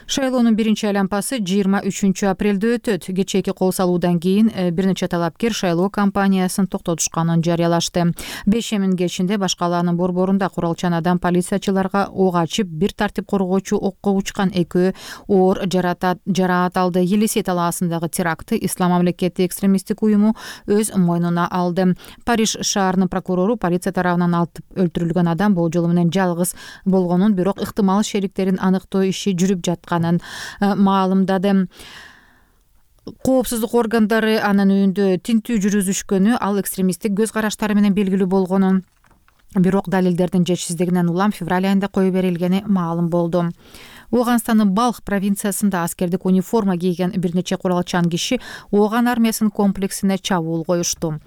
Шайлоонун биринчи айланпасы 23 апрелде өтөт. Кечээки кол салуудан кийин бир нече талапкер шайлоо кампаниясын токтотушканын жарыялашты. 5 кечинде башкалаанын борборунда куралчан адам полициячыларга ок ачып, бир тартип коргоочу окко учкан, экөө оор жараат алды. Елисей талаасындагы терактты Ислам мамлекети экстремисттик уюму өз мойнуна алды. Париж шаарынын прокурору полиция тарабынан атып өлтүрүлгөн адам болжолу менен жалгыз болгонун, бирок ыктымал шериктерин аныктоо иши жүрүп жаткан маалымдады. Коопсуздук органдары анын үйүндө тинтүү жүргүзүшкөнү, ал экстремисттик көз караштары менен белгилүү болгонун, бирок далилдердин жетишсиздигинен улам февраль айында кое берилгени маалым болду. Оганстандын Балх провинциясында аскердик униформа кийген бир нече куралчан киши Оган армиясынын комплексине чабуул коюшту.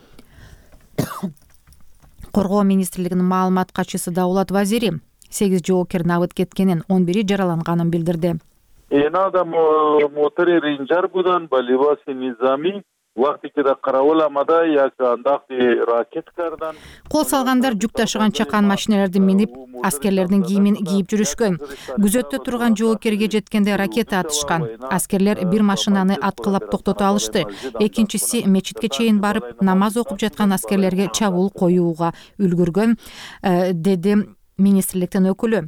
Коргоо министрлигинин маалымат катчысы Даулат Вазири 8 жоокер набыт кеткенин, 11 жараланганын билдирди. Надо мотори ринжарбудан ба либоси низами вакти ки да караволамада як андакти ракеткардан кол салгандар жүк ташыган чакан машиналарды минип, аскерлердин кийимин кийип жүрүшкөн. Күзөттө турган жоокерге жеткенде ракета атышкан. Аскерлер бир машинаны аткылап токтото алышты. Экинчиси мечитке чейин барып, намаз окуп жаткан аскерлерге чабуул коюуга үлгүргөн, деди министрликтин өкүлү.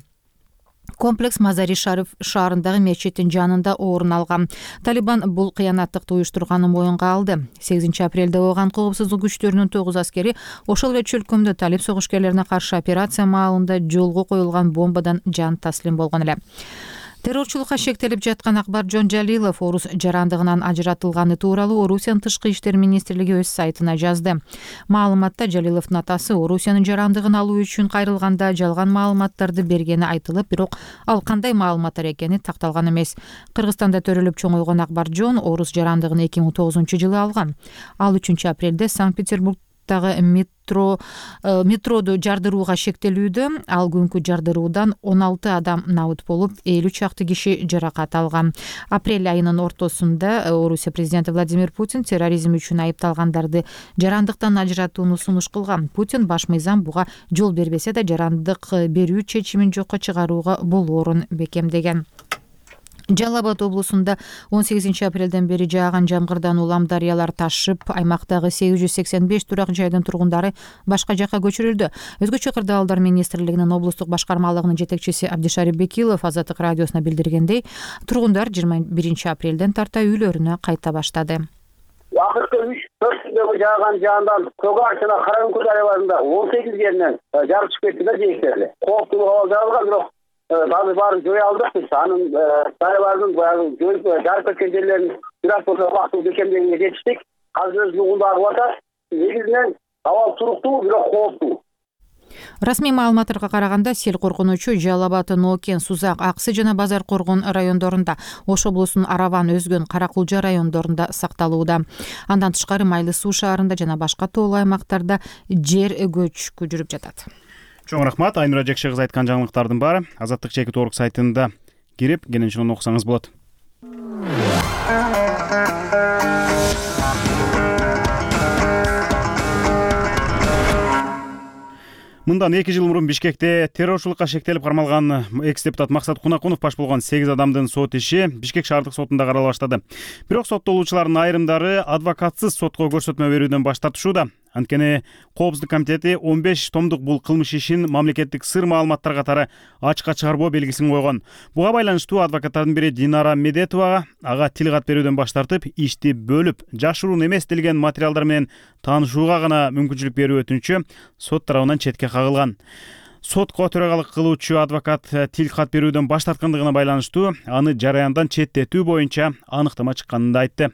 Комплекс Мазари Шариф шаарындагы мечиттин жанында орун алган. Талибан бул кыянаттыкты уюштурганын моюнга алды. 8 апрелде Оган коопсуздук күчтөрүнүн 9 аскери ошол эле чөлкөмдө талиб согушкерлерине каршы операция маалында жолго коюлган бомбадан жан таслим болгон эле. Террорчулукка шектелип жаткан Акбаржон Жалилов орус жарандыгынан ажыратылганы тууралуу Орусиянын тышкы иштер министрлиги өз сайтына жазды. Маалыматта Жалиловдун атасы Орусиянын жарандыгын алуу үчүн кайрылганда жалган маалыматтарды бергени айтылып, бирок ал кандай маалыматтар экени такталган эмес. Кыргызстанда төрөлүп чоңойгон Акбаржон орус жарандыгын 2009-жылы алган. Ал 3 апрелде Санкт-Петербург Нью-Йорктагы метроду жардырууга шектелүүдө. Ал күнкү жардыруудан 16 адам набыт болуп, 50 чакты киши жаракат алган. Апрель айынын ортосунда Орусия президенти Владимир Путин терроризм үчүн айыпталгандарды жарандыктан ажыратууну сунуш кылган. Путин баш мыйзам буга жол бербесе да жарандык берүү чечимин жокко чыгарууга болоорун бекемдеген. Жалал Абад облусунда 18 апрелден бери жааган жамгырдан улам дарыялар ташып, аймактагы 885 турак жайдын тургундары башка жакка көчүрүлдү. Өзгөчө кырдаалдар министрлигинин облустук башкармалыгынын жетекчиси Абдишарип Бекилов Азаттык радиосуна билдиргендей, тургундар 21 апрелден тарта үйлөрүнө кайта баштады. Акыркы 3-4 күндөгү жааган жаандан Когар жана Каракүнкү дарыяларында 18 жеринен жарып чыгып кетти да жээктерди. Кооптуу абал жаралган, бирок азыр баарын жоя алдык биз. Анын дарыялардын баягы жарып кеткен жерлерин бир аз болсо убактылуу бекемдегенге жетиштик. Азыр өз жугунда агып атат. Негизинен абал туруктуу, бирок кооптуу. Расмий маалыматтарга караганда, сел коркунучу Жалал Абад, Нокен, Сузак, Аксы жана Базар Коргон райондорунда, Ош облусунун Араван, Өзгөн, Каракулжа райондорунда сакталууда. Андан тышкары Майлы Суу шаарында жана башка тоолуу аймактарда жер көчкү жүрүп жатат. Чоң рахмат. Айнура Жекше кызы айткан жаңылыктардын баары Азаттык.org сайтында кирип кененчилен окусаңыз болот. Мындан 2 жыл мурун Бишкекте террорчулукка шектелип кармалган экс-депутат Максат Кунакунов баш болгон 8 адамдын сот иши Бишкек шаардык сотунда карала баштады. Бирок соттолуучулардын айрымдары адвокатсыз сотко көрсөтмө берүүдөн баш тартышууда. Анткени Коопсуздук комитети 15 томдук бул кылмыш ишин мамлекеттик сыр маалыматтар катары ачыкка чыгарбоо белгисин койгон. Буга байланыштуу адвокаттардын бири Динара Медетова ага тил кат берүүдөн баш тартып, ишти бөлүп, жашыруун эмес делген материалдар менен таанышууга гана мүмкүнчүлүк берүү өтүнүчү сот тарабынан четке кагылган. Сотко төрагалык кылуучу адвокат тил кат берүүдөн баш тарткандыгына байланыштуу аны жараяндан четтетүү боюнча аныктама чыкканын да айтты.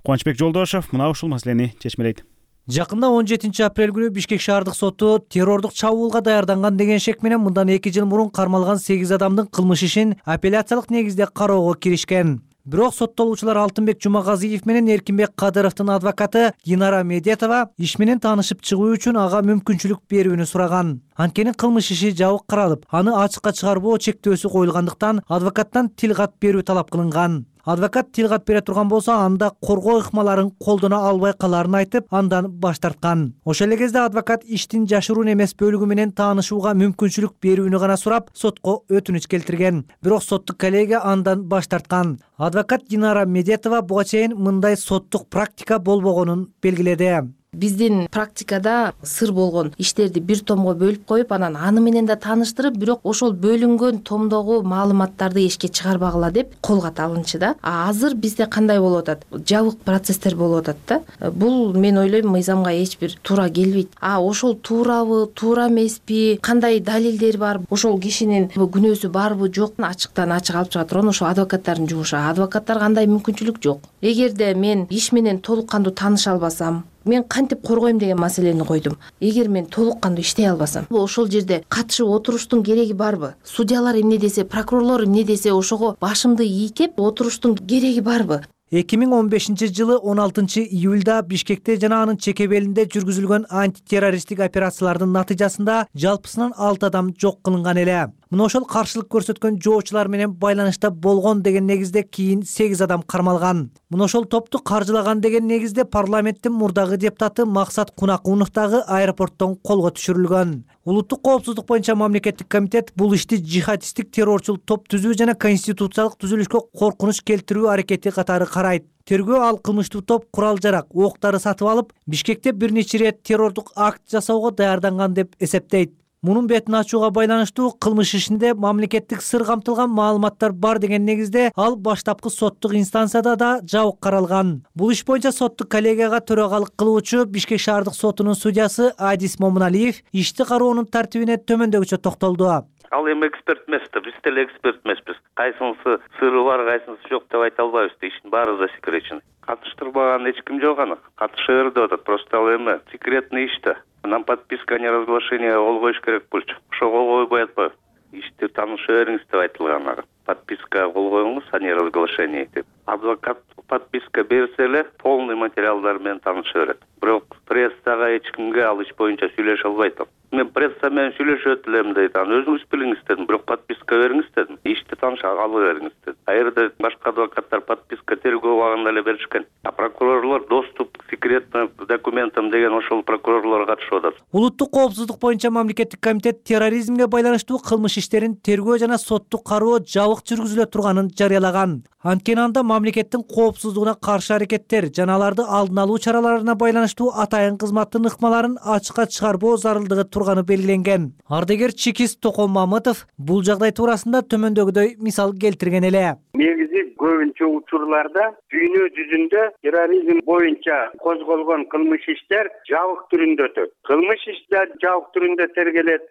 Кубанычбек Жолдошев мына ушул маселени чечмелейт. Жакында 17 апрель күнү Бишкек шаардык соту террордук чабуулга даярданган деген шек менен мындан 2 жыл мурун кармалган 8 адамдын кылмыш ишин апелляциялык негизде кароого киришкен. Бирок соттолуучулар Алтынбек Жумагазиев менен Эркинбек Кадыровдун адвокаты Динара Медетова иш менен таанышып чыгуу үчүн ага мүмкүнчүлүк берүүнү сураган. Анткени кылмыш иши жабык каралып, аны ачыкка чыгарбоо чектөөсү коюлгандыктан адвокаттан тил кат берүү талап кылынган. Адвокат тил кат бере турган болсо, анда коргоо ыкмаларын колдоно албай калаарын айтып, андан баш тарткан. Ошол эле кезде адвокат иштин жашыруун эмес бөлүгү менен таанышууга мүмкүнчүлүк берүүнү гана сурап, сотко өтүнүч келтирген. Бирок соттук коллегия андан баш тарткан. Адвокат Динара Медетова буга чейин мындай соттук практика болбогонун белгиледи. Биздин практикада сыр болгон иштерди бир томго бөлүп коюп, анан аны менен да тааныштырып, бирок ошол бөлүнгөн томдогу маалыматтарды эшикке чыгарбагыла деп кол кат алынчы да. Азыр бизде кандай болуп атат? Жабык процесстер болуп атат да. Бул мен ойлойм мыйзамга эч бир туура келбейт. Ошол туурабы, туура эмеспи, кандай далилдер бар, ошол кишинин күнөөсү барбы, жокпу, ачыктан ачык алып чыга турган ошол адвокаттардын жумушу. Адвокаттарга андай мүмкүнчүлүк жок. Эгерде мен иш менен толук кандуу тааныша албасам, мен кантип коргойм деген маселени койдум. Эгер мен толук кандуу иштей албасам, ошол жерде катышып отуруштун кереги барбы? Судьялар эмне десе, прокурорлор эмне десе, ошого башымды ийкеп отуруштун кереги барбы? 2015 жылы 16 июлда Бишкекте жана анын чекебелинде жүргүзүлгөн антитеррористтик операциялардын натыйжасында жалпысынан 6 адам жок кылынган эле. Мына ошол каршылык көрсөткөн жоочулар менен байланышта болгон деген негизде кийин 8 адам кармалган. Мына ошол топту каржылаган деген негизде парламенттин мурдагы депутаты Максат Кунакунов дагы аэропорттон колго түшүрүлгөн. Улуттук коопсуздук боюнча мамлекеттик комитет бул ишти жихадисттик террорчул топ түзүү жана конституциялык түзүлүшкө коркунуч келтирүү аракети катары карайт. Тергөө ал кылмыштуу топ курал-жарак, октары сатып алып, Бишкекте бир нече ирет террордук акт жасоого даярданган деп эсептейт. Мунун бетин ачууга байланыштуу кылмыш ишинде мамлекеттик сыр камтылган маалыматтар бар деген негизде ал баштапкы соттук инстанцияда да жабык каралган. Бул иш боюнча соттук коллегияга төрагалык кылуучу Бишкек шаардык сотунун судьясы Адис Момуналиев ишти кароонун тартибине төмөндөгүчө токтолду. Ал эми эксперт эмес да, биз деле эксперт эмеспиз. Кайсынысы сыры бар, кайсынысы жок деп айта албайбыз. Иштин баары засекречен. Катыштырбаган эч ким жок аны. Катыша бер деп атат. Просто ал эми секретный иш да. Нам подписка о неразглашении кол коюш керек болчу. Ошо кол койбой атпайбы? Ишти тааныша бериңиз деп айтылган ага. Подписка кол коюңуз о неразглашении деп. Адвокат подписка берсе эле полный материалдар менен тааныша берет. бирок прессага эч кимге ал иш боюнча сүйлөшө албайт. Мен пресса менен сүйлөшөт элем дейт. Өзүңүз билиңиз дедим, бирок подписка бериңиз дедим. Ишти тааныша алып бериңиз дедим. А жерде башка адвокаттар подписка тергөө убагында эле беришкен. А прокурорлор доступ к секретным документам деген ошол прокурорлор катышып атат. Улуттук коопсуздук боюнча мамлекеттик комитет терроризмге байланыштуу кылмыш иштерин тергөө жана соттук кароо жабык жүргүзүлө турганын жарыялаган. Анткени анда мамлекеттин коопсуздугуна каршы аракеттер жана аларды алдын алуу чараларына байланыштуу атайын кызматтын ыкмаларын ачыкка чыгарбоо зарылдыгы турганы белгиленген. Ардегер Чикис Токон Мамытов бул жагдай туурасында төмөндөгүдөй мисал келтирген эле. Негизи көбүнчө учурларда дүйнө жүзүндө терроризм боюнча козголгон кылмыш иштер жабык түрүндө өтөт. Кылмыш иштер жабык түрүндө тергелет,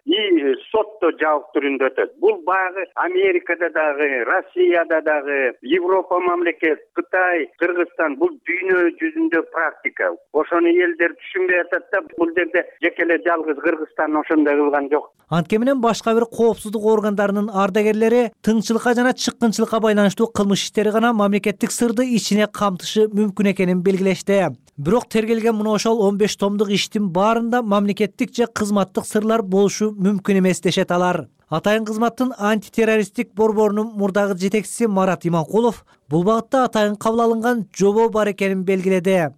сотто жабык түрүндө өтөт. Бул баягы Америкада дагы, Россияда дагы, Европа мамлекет, Кытай, Кыргызстан бул дүйнө жүзүндө практика. Ошону элдер түшүнбөй атат да, бул жерде жекеле жалгыз Кыргызстан ошондой кылган жок. Анткени менен башка бир коопсуздук органдарынын ардагерлери тыңчылыкка жана чыккынчылыкка байланыштуу кылмыш иштери гана мамлекеттик сырды ичине камтышы мүмкүн экенин белгилешти. Бирок тергелген мына ошол 15 томдук иштин баарында мамлекеттик же кызматтык сырлар болушу мүмкүн эмес дешет алар. Атайын кызматтын антитеррористтик борборунун мурдагы жетекчиси Марат Иманкулов бул багытта атайын кабыл алынган жобо бар экенин белгиледи.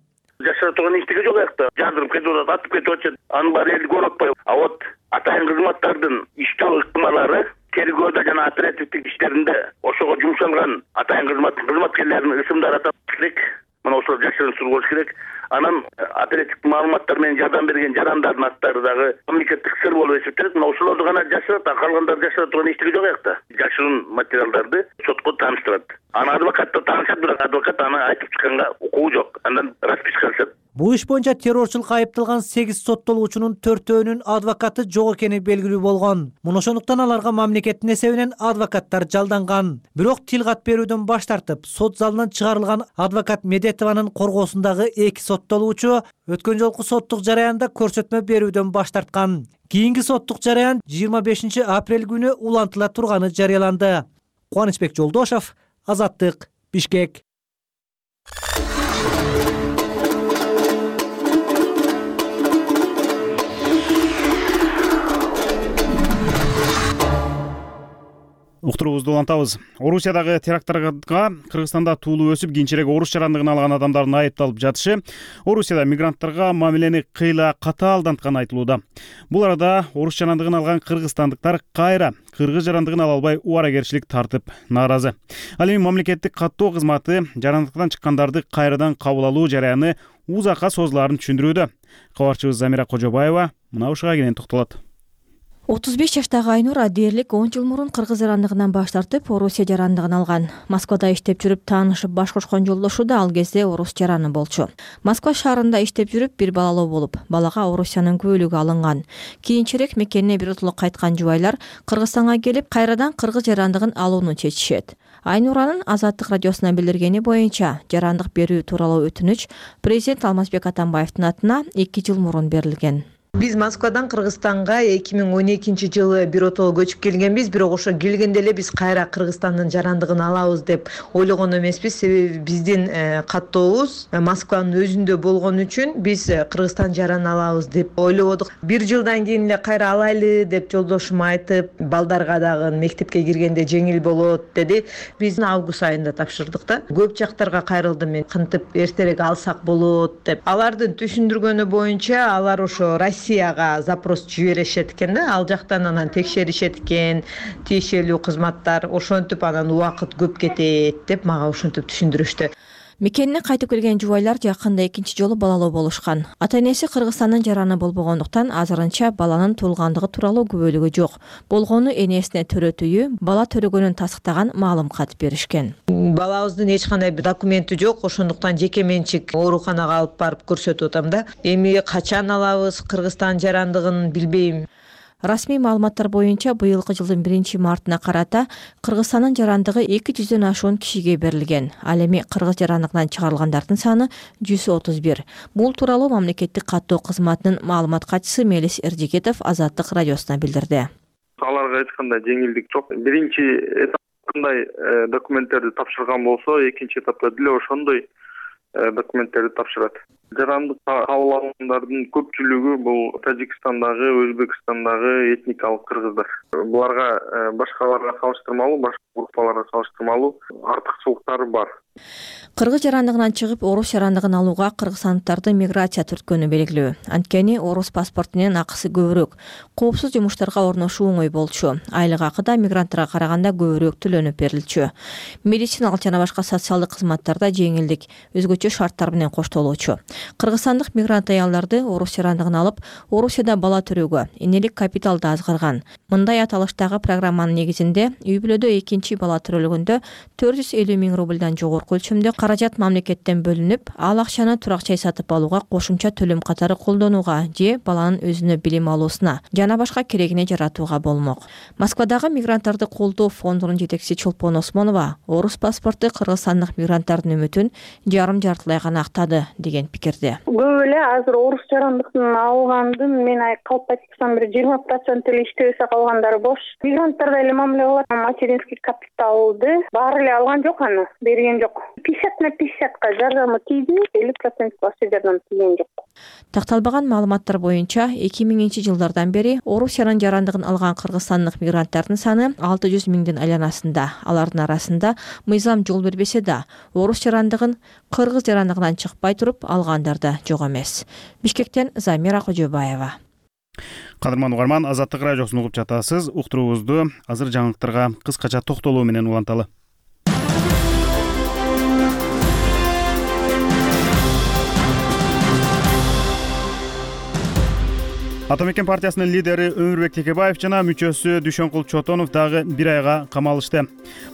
Жашап турган иштеги жок аякта. Жандырып кетип атат, атып кетип атат. Анын баары элди көрүп атпайбы. А вот атайын кызматтардын иштөө ыкмалары тергөөдө жана оперативдик иштеринде ошого жумшалган атайын кызматтын кызматкерлеринин ысымдары атап керек. Мына ошол жашырын сур болуш керек. Анан оперативдик маалыматтар менен жардам берген жарандардын аттары дагы мамлекеттик сыр болуп эсептелет. Мына ошолорду гана жашырат, калгандары жашыра турган иштеги жок аякта. Жашырын материалдарды сотко тааныштырат. Аны адвокатта таанышат, бирок адвокат аны айтып чыкканга укугу жок. Андан расписка алышат. Бул иш боюнча террорчулукка айыпталган 8 соттолуучунун 4-өөнүн адвокаты жок экени белгилүү болгон. Муну ошондуктан аларга мамлекеттин эсебинен адвокаттар жалданган. Бирок тил кат берүүдөн баш тартып, сот залынан чыгарылган адвокат Медетованын коргоосундагы 2 соттолуучу өткөн жолку соттук жараянда көрсөтмө берүүдөн баш тарткан. Кийинки соттук жараян 25 апрель күнү улантыла турганы жарыяланды. Кубанычбек Жолдошов, Азаттык, Бишкек. Уктуруубузду улантабыз. Орусиядагы теракттарга Кыргызстанда туулу өсүп, кийинчерээк орус жарандыгын алган адамдардын айыпталып жатышы Орусияда мигранттарга мамилени кыйла катаалдантканы айтылууда. Бул арада орус жарандыгын алган кыргызстандыктар кайра кыргыз жарандыгын ала албай убаракерчилик тартып нааразы. Ал эми мамлекеттик каттоо кызматы жарандыктан чыккандарды кайрадан кабыл алуу жараяны узакка созулаарын түшүндүрүүдө. Кабарчыбыз Замира Кожобаева мына ушуга кенен токтолот. 35 жаштагы Айнура дээрлик 10 жыл мурун кыргыз жарандыгынан баш тартып, Орусия жарандыгын алган. Москвада иштеп жүрүп таанышып баш кошкон жолдошу да ал кезде орус жараны болчу. Москва шаарында иштеп жүрүп бир балалуу болуп, балага Орусиянын күбөлүгү алынган. Кийинчерээк мекенине биротоло кайткан жубайлар Кыргызстанга келип, кайрадан кыргыз жарандыгын алууну чечишет. Айнуранын Азаттык радиосуна билдиргени боюнча, жарандык берүү тууралуу өтүнүч президент Алмазбек Атамбаевдин атына 2 жыл мурун берилген. Биз Москвадан Кыргызстанга 2012-жылы биротоло көчүп келгенбиз, бирок ошо келгенде эле биз кайра Кыргызстандын жарандыгын алабыз деп ойлогон эмеспиз. Себеби биздин каттообуз Москванын өзүндө болгон үчүн биз Кыргызстан жараны алабыз деп ойлободук. 1 жылдан кийин эле кайра алайлы деп жолдошум айтып, балдарга дагы мектепке киргенде жеңил болот деди. Биз август айында тапшырдык да. Көп жактарга кайрылдым мен, кантип эртерээк алсак болот деп. Алардын түшүндүргөнү боюнча алар ошо Россияга запрос жиберишет экен да, ал жактан анан текшеришет экен, тиешелүү кызматтар, ошентип анан убакыт көп кетет деп мага ошентип түшүндүрүштү. Мекенине кайтып келген жубайлар жакында 2 жолу балалуу болушкан. Ата-энеси Кыргызстандын жараны болбогондуктан азырынча баланын туулгандыгы тууралуу күбөлүгү жок. Болгону энесине төрөтүүгө, бала төрөгөнүн тастыктаган маалым кат беришкен. Балабыздын эч кандай документи жок, ошондуктан жеке менчик ооруканага алып барып көрсөтүп атам да. Эми качан алабыз Кыргызстан жарандыгын билбейм. Расмий маалыматтар боюнча быйылкы жылдын 1-мартына карата Кыргызстандын жарандыгы 200дөн ашуун кишиге берилген. Ал эми кыргыз жарандыгынан чыгарылгандардын саны 131. Бул тууралуу мамлекеттик каттоо кызматынын маалымат катчысы Мелис Эрдигетов Азаттык радиосуна билдирди. Аларга эч кандай жеңилдик жок. Биринчи этапкандай документтерди тапшырган болсо, экинчи этапта деле ошондой документтерди тапшырат. жарандык кабыл алгандардын көпчүлүгү бул Тажикстандагы, Өзбекстандагы этникалык кыргыздар. Буларга башкаларга салыштырмалуу, башка группаларга салыштырмалуу артыкчылыктары бар. Кыргыз жарандыгынан чыгып орус жарандыгын алууга кыргызстандыктардын миграция түрткөнү белгилүү. Анткени орус паспортунун акысы көбүрөөк, коопсуз жумуштарга орношуу оңой болчу. Айлык акы да мигранттарга караганда көбүрөөк төлөнүп берилчү. Медициналык жана башка социалдык кызматтарда жеңилдик, өзгөчө шарттар менен коштолчу. Кыргызстандык мигрант аялдарды орус жарандыгын алып, Орусияда бала төрөөгө, энелик капитал да азгарган. Мындай аталыштагы программанын негизинде үй бүлөдө экинчи бала төрөлгөндө 450 000 рубльдан жогорку өлчөмдө каражат мамлекеттен бөлүнүп, ал акчаны турак жай сатып алууга кошумча төлөм катары колдонууга же баланын өзүнө билим алуусуна жана башка керегине жаратууга болмок. Москвадагы мигранттарды колдоо фондунун жетекчиси Чолпон Осмонова орус паспорту кыргызстандык мигранттардын үмүтүн жарым-жартылай гана актады деген пикирде. Көп эле азыр орус жарандыктын алгандын мен калп айтсам бир 20% эле иштебесе калгандары бош. Мигранттарда эле мамиле кылат. Материнский капиталды баары эле алган жок, аны берген жок. 50/50 жардамы тийди, 50% башка жардам тийген жок. Такталбаган маалыматтар боюнча 2000-жылдардан бери Орусиянын жарандыгын алган кыргызстандык мигранттардын саны 600 000дин айланасында. Алардын арасында мыйзам жол бербесе да, орус жарандыгын кыргыз жарандыгынан чыкпай туруп алгандар да жок эмес. Бишкектен Замира Кожобаева. Кадырман угарман, Азаттык радиосун угуп жатасыз. Уктуруубузду азыр жаңылыктарга кыскача токтолуу менен уланталы. Ата мекен партиясынын лидери Өмүрбек Текебаев жана мүчөсү Дүйшөнкул Чотонов дагы бир айга камалышты.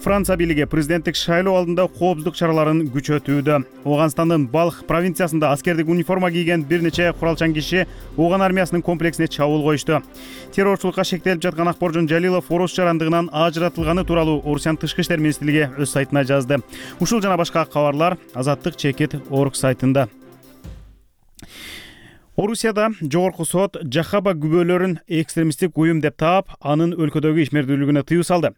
Франция бийлиги президенттик шайлоо алдында коопсуздук чараларын күчөтүүдө. Ооганстандын Балх провинциясында аскердик униформа кийген бир нече куралчан киши Ооган армиясынын комплексине чабуул коюшту. Террорчулукка шектелип жаткан Акборжон Жалилов орус жарандыгынан ажыратылганы тууралуу Орусиянын Тышкы иштер министрлиги өз сайтына жазды. Ушул жана башка кабарлар Азаттык.org сайтында. Орусияда жогорку сот Жахаба күбөлөрүн экстремисттик уюм деп таап, анын өлкөдөгү ишмердүүлүгүнө тыюу салды.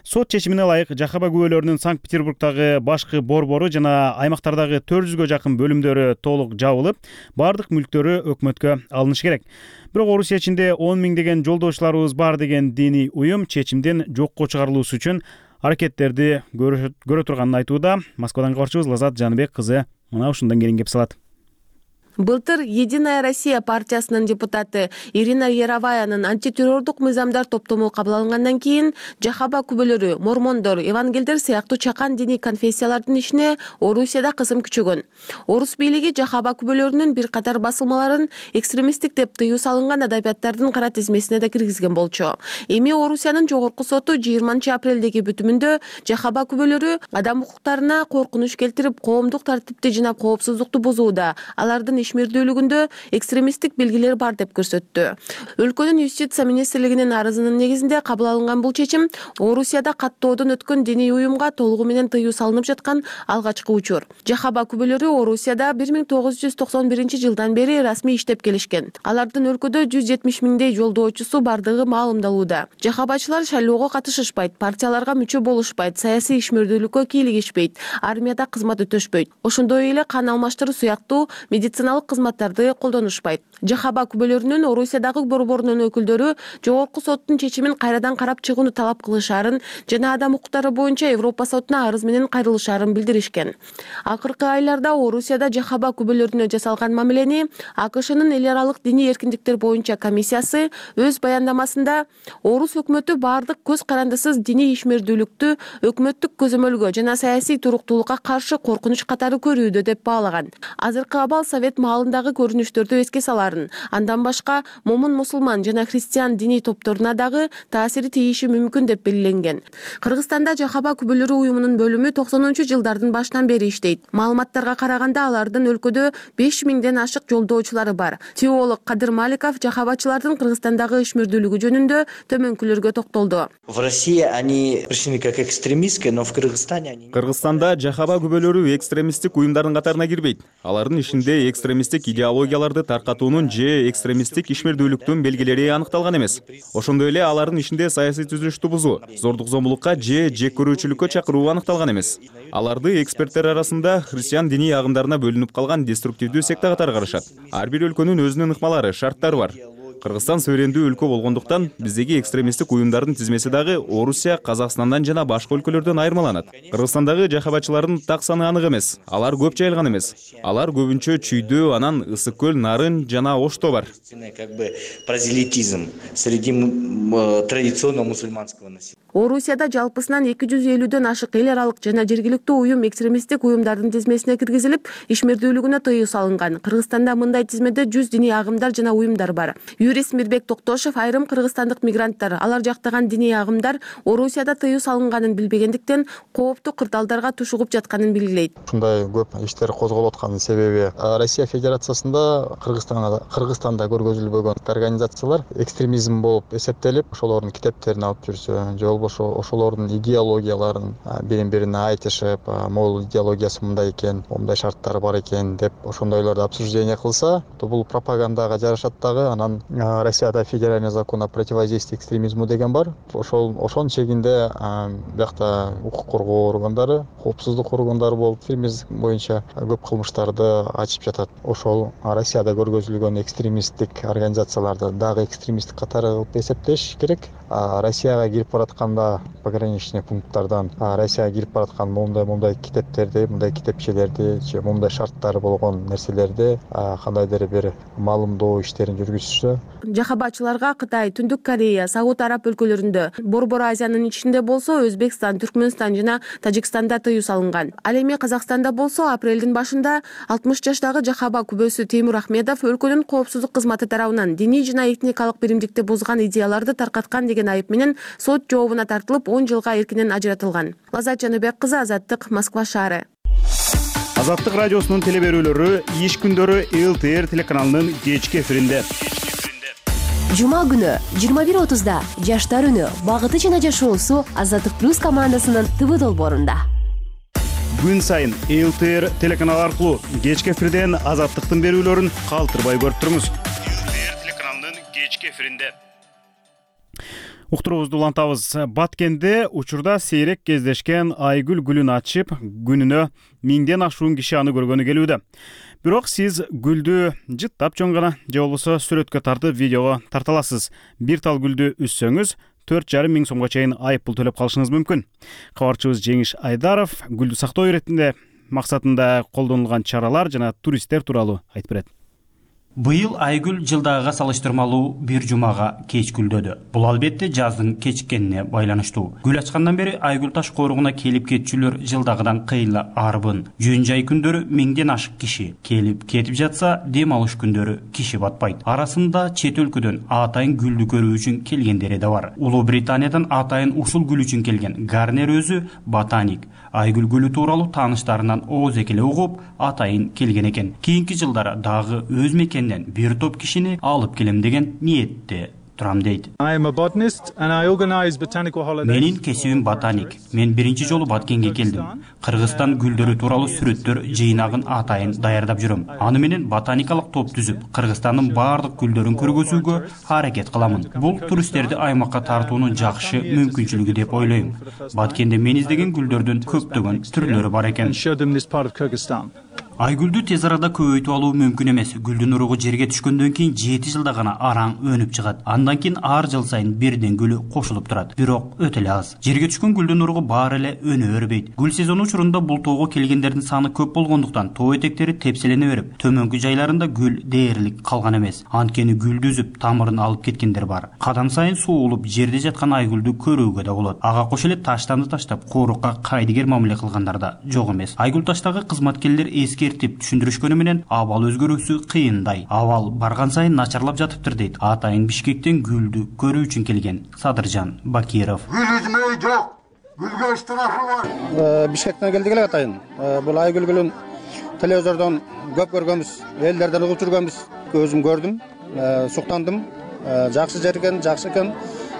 Сот чечимине ылайык Жахаба күбөлөрүнүн Санкт-Петербургдагы башкы борбору жана аймактардагы 400гө жакын бөлүмдөрү толук жабылып, бардык мүлктөрү өкмөткө алынышы керек. Бирок Орусия ичинде 10 миңдеген жолдошуларыбыз бар деген диний уюм чечимден жокко чыгарылуусу үчүн аракеттерди көрө турганын айтууда. Москвадан кабарчыбыз Лазат Жаныбек кызы мына ушундан кийин кеп салат. Былтыр Единая Россия партиясынын депутаты Ирина Яроваянын антитеррордук мыйзамдар топтому кабыл алынгандан кийин Жахаба күбөлөрү, мормондор, евангелдер сыяктуу чакан диний конфессиялардын ишине Орусияда кысым күчөгөн. Орус бийлиги Жахаба күбөлөрүнүн бир катар басылмаларын экстремисттик деп тыюу салынган адабияттардын кара тизмесине да киргизген болчу. Эми Орусиянын жогорку соту 20-апрелдеги бүтүмүндө Жахаба күбөлөрү адам укуктарына коркунуч келтирип, коомдук тартипти жана коопсуздукту бузууда, алардын ишмердүүлүгүндө экстремисттик белгилер бар деп көрсөттү. Өлкөнүн юстиция министрлигинин арызынын негизинде кабыл алынган бул чечим Орусияда каттоодон өткөн диний уюмга толугу менен тыюу салынып жаткан алгачкы учур. Жахаба күбөлөрү Орусияда 1991-жылдан бери расмий иштеп келишкен. Алардын өлкөдө 170 000дей жолдоочусу бардыгы маалымдалууда. Жахабачылар шайлоого катышышпайт, партияларга мүчө болушпайт, саясий ишмердүүлүккө кийлигишпейт, армияда кызмат өтөшпөйт. Ошондой эле кан алмаштыруу сыяктуу медициналык кызматтарды колдонушпайт. Жахаба күбөлөрүнүн Орусиядагы борборунун өкүлдөрү жогорку соттун чечимин кайрадан карап чыгууну талап кылышаарын жана адам укуктары боюнча Европа сотуна арыз менен кайрылышаарын билдиришкен. Акыркы айларда Орусияда Жахаба күбөлөрүнө жасалган мамилени АКШнын эл аралык диний эркиндиктер боюнча комиссиясы өз баяндамасында орус өкмөтү бардык көз карандысыз диний ишмердүүлүктү өкмөттүк көзөмөлгө жана саясий туруктуулукка каршы коркунуч катары көрүүдө деп баалаган. Азыркы абал Совет маалындагы көрүнүштөрдү эске саларын, андан башка момун мусулман жана христиан диний топторуна дагы таасири тийиши мүмкүн деп белгиленген. Кыргызстанда Жахаба күбөлөрү уюмунун бөлүмү 90-жылдардын башынан бери иштейт. Маалыматтарга караганда алардын өлкөдө 5000ден ашык жолдоочулары бар. Теолог Кадыр Маликов Жахабачылардын Кыргызстандагы ишмердүүлүгү жөнүндө төмөнкүлөргө токтолду. В России они пришли как экстремистские, но в Кыргызстане они... Кыргызстанда Жахаба күбөлөрү экстремисттик уюмдардын катарына кирбейт. Алардын ишинде экстремисттик экстремисттик идеологияларды таркатуунун же экстремисттик ишмердүүлүктүн белгилери аныкталган эмес. Ошондой эле алардын ичинде саясий түзүлүштү бузуу, зордук зомбулукка же жек көрүүчүлүккө чакыруу аныкталган эмес. Аларды эксперттер арасында христиан диний агымдарына бөлүнүп калган деструктивдүү секта катары карашат. Ар бир өлкөнүн өзүнүн ыкмалары, шарттары бар. Кыргызстан суверендүү өлкө болгондуктан биздеги экстремисттик уюмдардын тизмеси дагы Орусия, Казакстандан жана башка өлкөлөрдөн айырмаланат. Кыргызстандагы жахабачылардын так саны анык эмес. Алар көп жайылган эмес. Алар көбүнчө Чүйдө, анан Ысык көл, Нарын жана Ошто бар. Прозелитизм среди традиционно мусульманского населения. Орусияда жалпысынан 250дөн ашык эл аралык жана жергиликтүү уюм экстремисттик уюмдардын тизмесине киргизилип, ишмердүүлүгүнө тыюу салынган. Кыргызстанда мындай тизмеде 100 диний агымдар жана уюмдар бар. Юрист Мирбек Токтошев айрым кыргызстандык мигранттар, алар жактаган диний агымдар Орусияда тыюу салынганын билбегендиктен кооптуу кырдаалдарга тушугуп жатканын белгилейт. Ушундай көп иштер козголуп атканын себеби Россия Федерациясында Кыргызстанда көргөзүлбөгөн организациялар экстремизм болуп эсептелип, ошолордун китептерин алып жүрсө, же болбосо ошолордун идеологияларын бири-бирине айтышып, могул идеологиясы мындай экен, мындай шарттары бар экен деп ошондойлорду обсуждение кылса, бул пропагандага жарашат дагы. Анан Россияда федеральный закон о противодействии экстремизму деген бар. Ошонун чегинде биякта укук коргоо органдары, коопсуздук органдары болуп экстремизм боюнча көп кылмыштарды ачып жатат. Ошол Россияда көргөзүлгөн экстремисттик организацияларды дагы экстремисттик катары кылып эсептеш керек. Россияга кирип баратканда пограничный пункттардан Россияга кирип бараткан моундай китептерди, мындай китепчелерди же моундай шарттары болгон нерселерди кандайдыр бир маалымдоо иштерин жүргүзүшсө. Жахабачыларга Кытай, Түндүк Корея, Сауд Араб өлкөлөрүндө, Борбор Азиянын ичинде болсо Өзбекстан, Түркмөнстан жана Тажикстанда тыюу салынган. Ал эми Казакстанда болсо апрелдин башында 60 жаштагы жахаба күбөсү Теймур Ахмедов өлкөнүн коопсуздук кызматы тарабынан диний жана этникалык биримдикти бузган идеяларды таркаткан деген айып менен сот жообуна тартылып 10 жылга эркинен ажыратылган. Лазат Жаныбек кызы, Азаттык, Москва шаары. Азаттык радиосунун телеберүүлөрү иш күндөрү ЛТР телеканалынын кечки эфиринде. Жума күнү 21:30да Жаштар үнү багыты жана жашоосу Азаттык плюс командасынын ТВ долбоорунда. Күн сайын ЛТР телеканалы аркылуу кечки эфирден Азаттыктын берүүлөрүн калтырбай көрүп туруңуз. ЛТР телеканалынын кечки эфиринде. Уктуруубузду улантабыз. Баткенде учурда сейрек кездешкен Айгүл гүлүн ачып, күнүнө 1000ден ашуун киши аны көргөнү келүүдө. Бирок сиз гүлдү жыттап чоң гана же болбосо сүрөткө тартып видеого тарта аласыз. Бир тал гүлдү үзсөңүз 4,5 миң сомго чейин айып пул төлөп калышыңыз мүмкүн. Кабарчыбыз Жеңиш Айдаров гүлдү сактоо иретинде максатында колдонулган чаралар жана туристтер тууралуу айтып берет. Быйыл Айгүл жылдагыга салыштырмалуу бир жумага кеч гүлдөдү. Бул албетте жаздын кечиккенине байланыштуу. Гүл ачкандан бери Айгүл таш коругуна келип кетчүлөр жылдагыдан кыйла арбын. Жөн жай күндөрү 1000ден ашык киши келип кетип жатса, дем алыш күндөрү киши батпайт. Арасында чет өлкөдөн атайын гүлдү көрүү үчүн келгендери да бар. Улуу Британиядан атайын ушул гүл үчүн келген Гарнер өзү ботаник. Айгүл гүлү тууралуу тааныштарынан ооз экеле угуп, атайын келген экен. Кийинки жылдары дагы өз мекенинен бир топ кишини алып келем деген ниетте турам дейт. Менин кесибим ботаник. Мен биринчи жолу Баткенге келдим. Кыргызстан гүлдөрү тууралуу сүрөттөр жыйнагын атайын даярдап жүрөм. Аны менен ботаникалык топ түзүп, Кыргызстандын баардык гүлдөрүн көргөзүүгө аракет кыламын. Бул туристтерди аймакка тартуунун жакшы мүмкүнчүлүгү деп ойлойм. Баткенде мен издеген гүлдөрдүн көптөгөн түрлөрү бар экен. Айгүлдү тез арада көбөйтүп алуу мүмкүн эмес. Гүлдүн уругу жерге түшкөндөн кийин 7 жылда гана араң өнүп чыгат. Андан кийин ар жыл сайын бирден гүлү кошулуп турат. Бирок өтө эле аз. Жерге түшкөн гүлдүн уругу баары эле өнө өрбөйт. Гүл сезону учурунда бул тоого келгендердин саны көп болгондуктан тоо этектери тепселене берип, төмөнкү жайларында гүл дээрлик калган эмес. Анткени гүлдү үзүп, тамырын алып кеткендер бар. Кадам сайын суулуп, жерде жаткан айгүлдү көрүүгө да болот. Ага кошо эле таштанды таштап, коорукка кайдыгер мамиле кылгандар да жок эмес. Айгүл таштагы кызматкерлер эскертип түшүндүрүшкөнү менен абал өзгөрүүсү кыйындай. Абал барган сайын начарлап жатыптыр дейт атайын Бишкектен гүлдү көрүү үчүн келген Садыржан Бакиров. Гүл үзмөй жок. Гүлгө штрафы бар. Бишкектен келдик эле атайын. Бул Айгүл гүлүн телевизордон көп көргөнбүз, элдерден угуп жүргөнбүз. Өзүм көрдүм, суктандым. Жакшы жер экен, жакшы экен.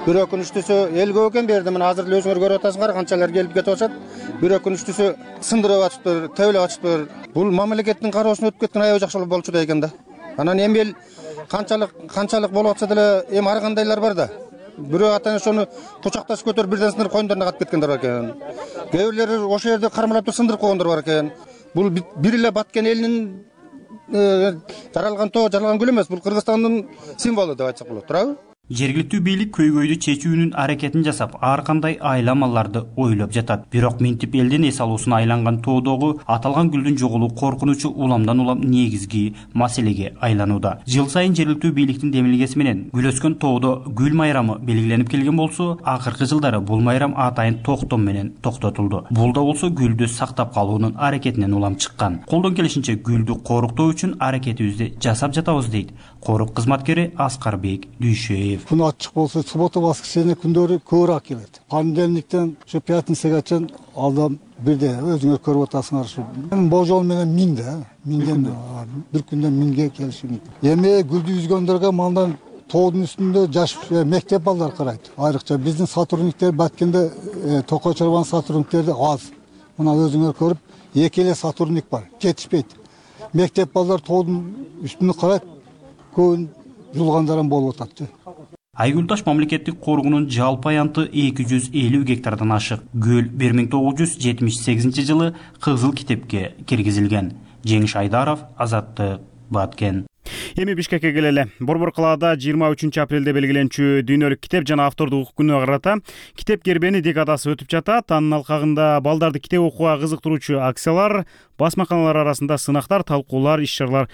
бир өкүнүчтүүсү эл көп экен берди. Мына азыр эле өзүңөр көрүп атасыңар канчалар келип кетип атышат. Бир өкүнүчтүүсү сындырып атыптыр, төбөлөп атыптыр. Бул мамлекеттин кароосуна өтүп кеткен аябай жакшы болчу да экен да. Анан эми эл канчалык болуп атса деле эми ар кандайлар бар да. Бирөө атаны ошону кучакташып көтөрүп бирден сындырып коюндарына катып кеткендер бар экен. Кээ бирлери ошол жерде кармалап сындырып койгондор бар экен. Бул бир эле Баткен элинин жаралган тоо, жаралган гүл эмес. Бул Кыргызстандын символу деп айтсак болот, туурабы? Жергиликтүү бийлик көйгөйдү чечүүнүн аракетин жасап, ар кандай айламаларды ойлоп жатат. Бирок минтип элдин эс алуусуна айланган тоодогу аталган гүлдүн жоголуу коркунучу уламдан улам негизги маселеге айланууда. Жыл сайын жергиликтүү бийликтин демилгеси менен гүл өскөн тоодо гүл майрамы белгиленип келген болсо, акыркы жылдары бул майрам атайын токтом менен токтотулду. Бул да болсо гүлдү сактап калуунун аракетинен улам чыккан. Колдон келишинче гүлдү коруктоо үчүн аракетибизди жасап жатабыз дейт корук кызматкери Аскарбек Дүйшөев. Күн ачык болсо, суббота, воскресенье күндөрү көбүрөөк келет. Понедельниктен ушу пятницага чейин алдан бирде өзүңөр көрүп атасыңар ушу. Божол менен 1000 да, 1000ден бир күндө 1000ге келиши мүмкүн. Эми гүлдү үзгөндөргө мандан тоодун үстүндө жаш мектеп балдар карайт. Айрыкча биздин сотрудниктер Баткенде Токой чарбан сотрудниктерди аз. Мына өзүңөр көрүп, 2 эле сотрудник бар, жетишпейт. Мектеп балдар тоодун үстүндө карайт, көбүн жулгандарым болуп атат. Айгүлташ мамлекеттик коргунун жалпы аянты 250 гектардан ашык. Гүл 1978 жылы Кызыл китепке киргизилген. Жеңиш Айдаров, Азаттык, Баткен. Эми Бишкекке келели. Борбор калаада 23 апрелде белгиленчү дүйнөлүк китеп жана автордук укук күнүнө карата китеп кербени декадасы өтүп жатат. Анын алкагында балдарды китеп окууга кызыктыруучу акциялар, басмаканалар арасында сынактар, талкуулар, иш-чаралар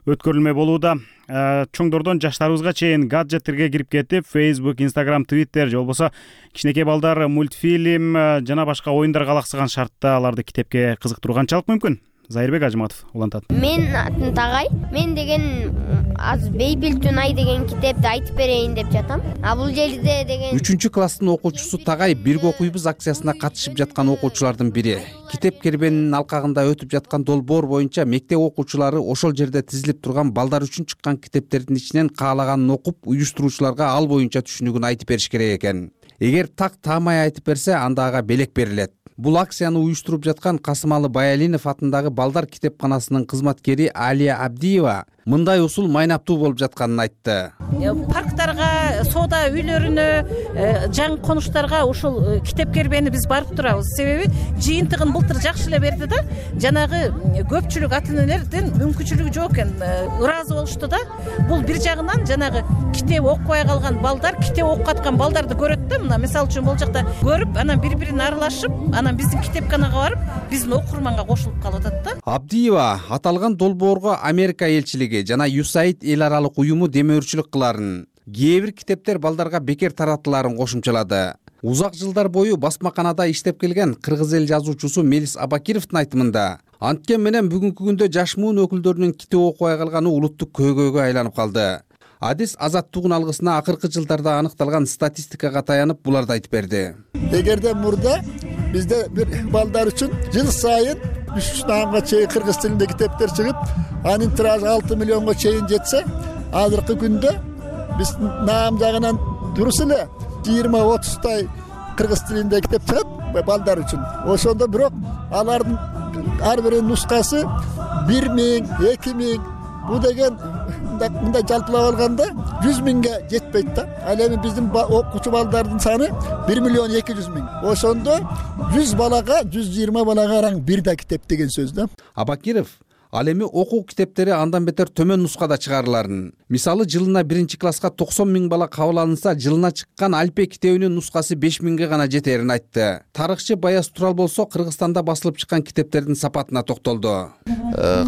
өткөрүлмө болууда. Чоңдордон жаштарыбызга чейин гаджеттерге кирип кетип, Facebook, Instagram, Twitter же болбосо кичинекей балдар мультфильм жана башка оюндарга алаксыган шартта аларды китепке кызыктыруу канчалык мүмкүн? Зайырбек Ажыматов улантат. Мен атын Тагай. Мен деген аз Бейбил Тунай деген китепти айтып берейин деп жатам. А бул жерде деген 3-класстын окуучусу Тагай бирге окуйбуз акциясына катышып жаткан окуучулардын бири. Китеп кербенинин алкагында өтүп жаткан долбоор боюнча мектеп окуучулары ошол жерде тизилип турган балдар үчүн чыккан китептердин ичинен каалаганын окуп, уюштуруучуларга ал боюнча түшүнүгүн айтып бериш керек экен. Эгер так таамай айтып берсе, анда ага белек берилет. Бул акцияны уюштуруп жаткан Касымалы Баялинов атындагы балдар китепканасынын кызматкери Алия Абдиева мындай усул майнаптуу болуп жатканын айтты. Парктарга, соода үйлөрүнө, жаңы конуштарга ушул китеп кербени биз барып турабыз. Себеби жыйынтыгын былтыр жакшы эле берди да, жанагы көпчүлүк ата-энелердин мүмкүнчүлүгү жок экен, ыраазы болушту да. Бул бир жагынан жанагы китеп окубай калган балдар китеп окуп аткан балдарды көрөт да, мына мисалы үчүн бул жакта көрүп, анан бири-бирин аралашып, анан биздин китепканага барып, биздин окурманга кошулуп калып атат да. Абдиева аталган долбоорго Америка элчилиги жана USAID эл аралык уюму демөөрчүлүк кыларын. Кээ бир китептер балдарга бекер таратыларын кошумчалады. Узак жылдар бою басмаканада иштеп келген кыргыз эл жазуучусу Мелис Абакировдун айтымында, анткен менен бүгүнкү күндө жаш муун өкүлдөрүнүн китеп окубай калганы улуттук көйгөйгө айланып калды. Адис Азаттыгын алгысына акыркы жылдарда аныкталган статистикага таянып буларды айтып берди. Эгерде мурда бизде бир балдар үчүн жыл сайын 3 наамга чейин кыргыз тилинде китептер чыгып, анын тиражы 6 миллионго чейин жетсе, азыркы күндө биз наам жагынан дурус эле 20-30 кыргыз тилинде китеп чыгат балдар үчүн. Ошондо бирок алардын ар биринин нускасы 1000, 2000, бул деген мындай жалпылап алганда 100 миңге жетпейт да. Ал эми биздин окуучу балдардын саны 1 миллион 200 миң. Ошондо 100 балага, 120 балага араң бир да китеп деген сөз да. Абакиров ал эми окуу китептери андан бетер төмөн нускада чыгарыларын. Мисалы, жылына 1-класска 90 миң бала кабыл алынса, жылына чыккан Альпе китебинин нускасы 5 миңге гана жетерин айтты. Тарыхчы Баяз Турал болсо Кыргызстанда басылып чыккан китептердин сапатына токтолду.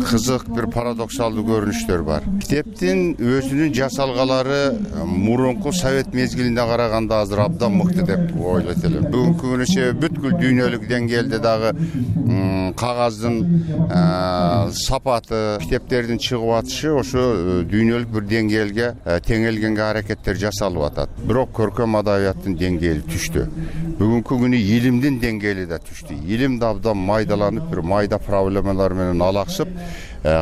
Кызык бир парадоксалдуу көрүнүштөр бар. Китептин өзүнүн жасалгалары мурунку Совет мезгилине караганда азыр абдан мыкты деп ойлойт элем. Бүгүнкү күнүчө бүткүл дүйнөлүк деңгээлде дагы кагаздын сапаты, китептердин чыгып атышы ошо дүйнөлүк бир деңгээлге теңелгенге аракеттер жасалып атат. Бирок көркөм адабияттын деңгээли түштү. Бүгүнкү күнү илимдин деңгээли да түштү. Илим да абдан майдаланып, бир майда проблемалар менен алаксып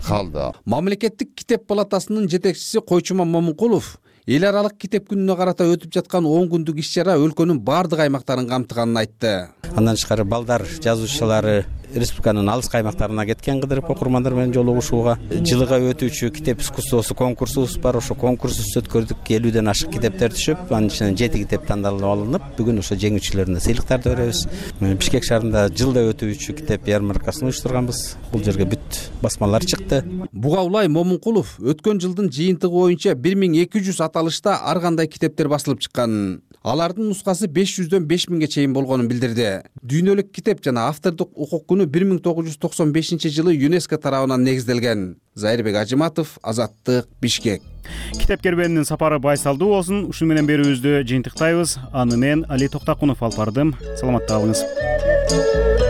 калды. Мамлекеттик китеп палатасынын жетекчиси Койчуман Момункулов Эл аралык китеп күнүнө карата өтүп жаткан 10 күндүк иш чара өлкөнүн баардык аймактарын камтыганын айтты. Андан тышкары балдар жазуучулары республиканын алыс аймактарына кеткен кыдырып окурмандар менен жолугушууга. Жылыга өтүүчү китеп искусствосу конкурсубуз бар. Ошо конкурсубузду өткөрдүк. 50ден ашык китептер түшүп, анын ичинен 7 китеп тандалып алынып, бүгүн ошо жеңүүчүлөрүнө сыйлыктарды беребиз. Бишкек шаарында жылда өтүүчү китеп ярмаркасын уюштурганбыз. Бул жерге бүт басмалар чыкты. Бугаулай Момункулов өткөн жылдын жыйынтыгы боюнча 1200 аталышта ар кандай китептер басылып чыккан. Алардын нускасы 500дөн 5000ге чейин болгонун билдирди. Дүйнөлүк китеп жана автордук укук күнү 1995-жылы ЮНЕСКО тарабынан негизделген. Зайырбек Ажыматов, Азаттык, Бишкек. Китеп кербенинин сапары байсалдуу болсун. Ушуну менен берүүбүздү жыйынтыктайбыз. Аны мен Али Токтакунов алып бардым. Саламатта калыңыз.